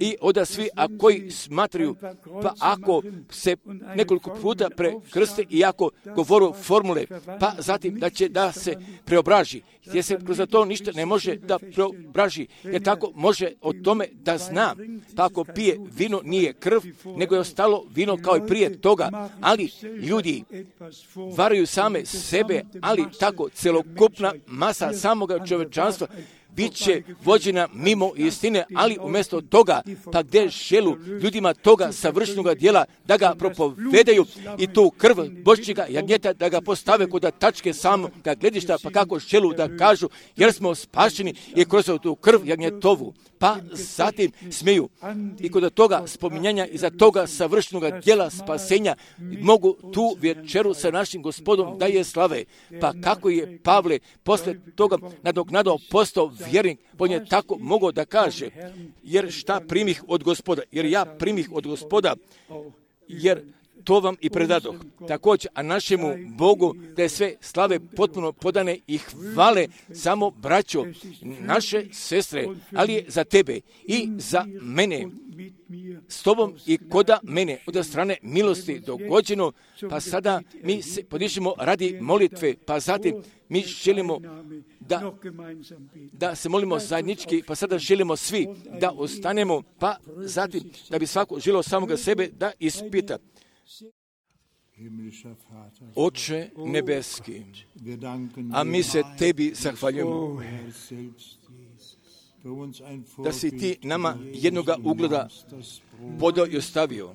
i onda svi koji smatraju, pa ako se nekoliko puta prekrste i ako govoru formule, pa zatim da se preobraži, jer se kroz to ništa ne može da preobraži, jer tako može o tome da zna, pa ako pije vino nije krv, nego je ostalo vino kao i prije toga, ali ljudi varaju same sebe, ali tako celokupna masa samoga čovečanstva bit će vođena mimo istine, ali umjesto toga, pa gdje želu ljudima toga savršenog djela da ga propovedaju i tu krv Božjega jagnjeta da ga postave kod tačke samoga gledišta, pa kako želu da kažu jer smo spašeni i kroz tu krv jagnjetovu. Pa zatim smiju i kod toga spominjanja i za toga savršenog djela spasenja mogu tu večeru sa našim Gospodom da je slave. Pa kako je Pavle posle toga nadoknadao postao vjernik, on je tako mogao da kaže, jer šta primih od Gospoda, jer ja primih od Gospoda, jer to vam i predadoh. Također, a našemu Bogu da je sve slave potpuno podane i hvale samo braćo, naše sestre, ali je za tebe i za mene, s tobom i koda mene, od strane milosti dogođeno, pa mi se podižemo radi molitve, pa zatim mi želimo da se molimo zajednički, pa sada želimo svi da ostanemo, pa zatim da bi svako želio samoga sebe da ispita. Oče nebeski, a mi se tebi zahvaljujemo da si ti nama jednoga ugleda podao i ostavio.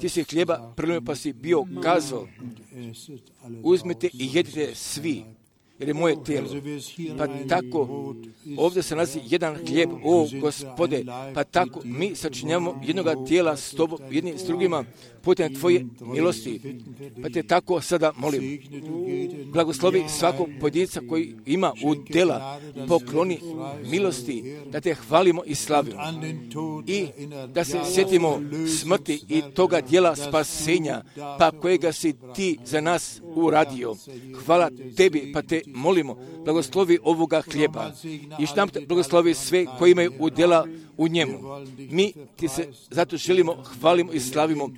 Ti si hljeba prelomio pa si bio kazao, uzmite i jedite svi, jer je moje tijelo. Pa tako, ovdje se nalazi jedan hljeb, o Gospode, pa tako mi sačinjavamo jednoga tijela s tobom, jedni s drugima, putem tvoje milosti. Pa te tako sada molim, blagoslovi svakog pojedinca koji ima udjela, pokloni milosti, da te hvalimo i slavimo. I da se sjetimo smrti i toga djela spasenja, pa kojega si ti za nas uradio. Hvala tebi, pa te molimo, blagoslovi ovoga hljeba i šta blagoslovi sve koji imaju udjela u njemu. Mi ti se zato želimo, hvalimo i slavimo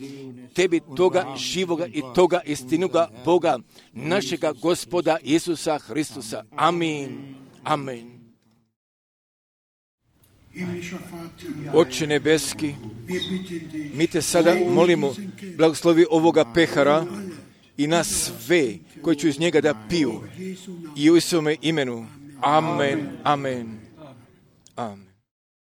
tebi toga živoga i toga istinoga Boga, našega Gospoda Isusa Hristusa. Amin. Amin. Oče nebeski, mi te sada molimo, blagoslovi ovoga pehara i nas sve koji će iz njega da piju i u Isuse imenu. Amen. Amen. Amen.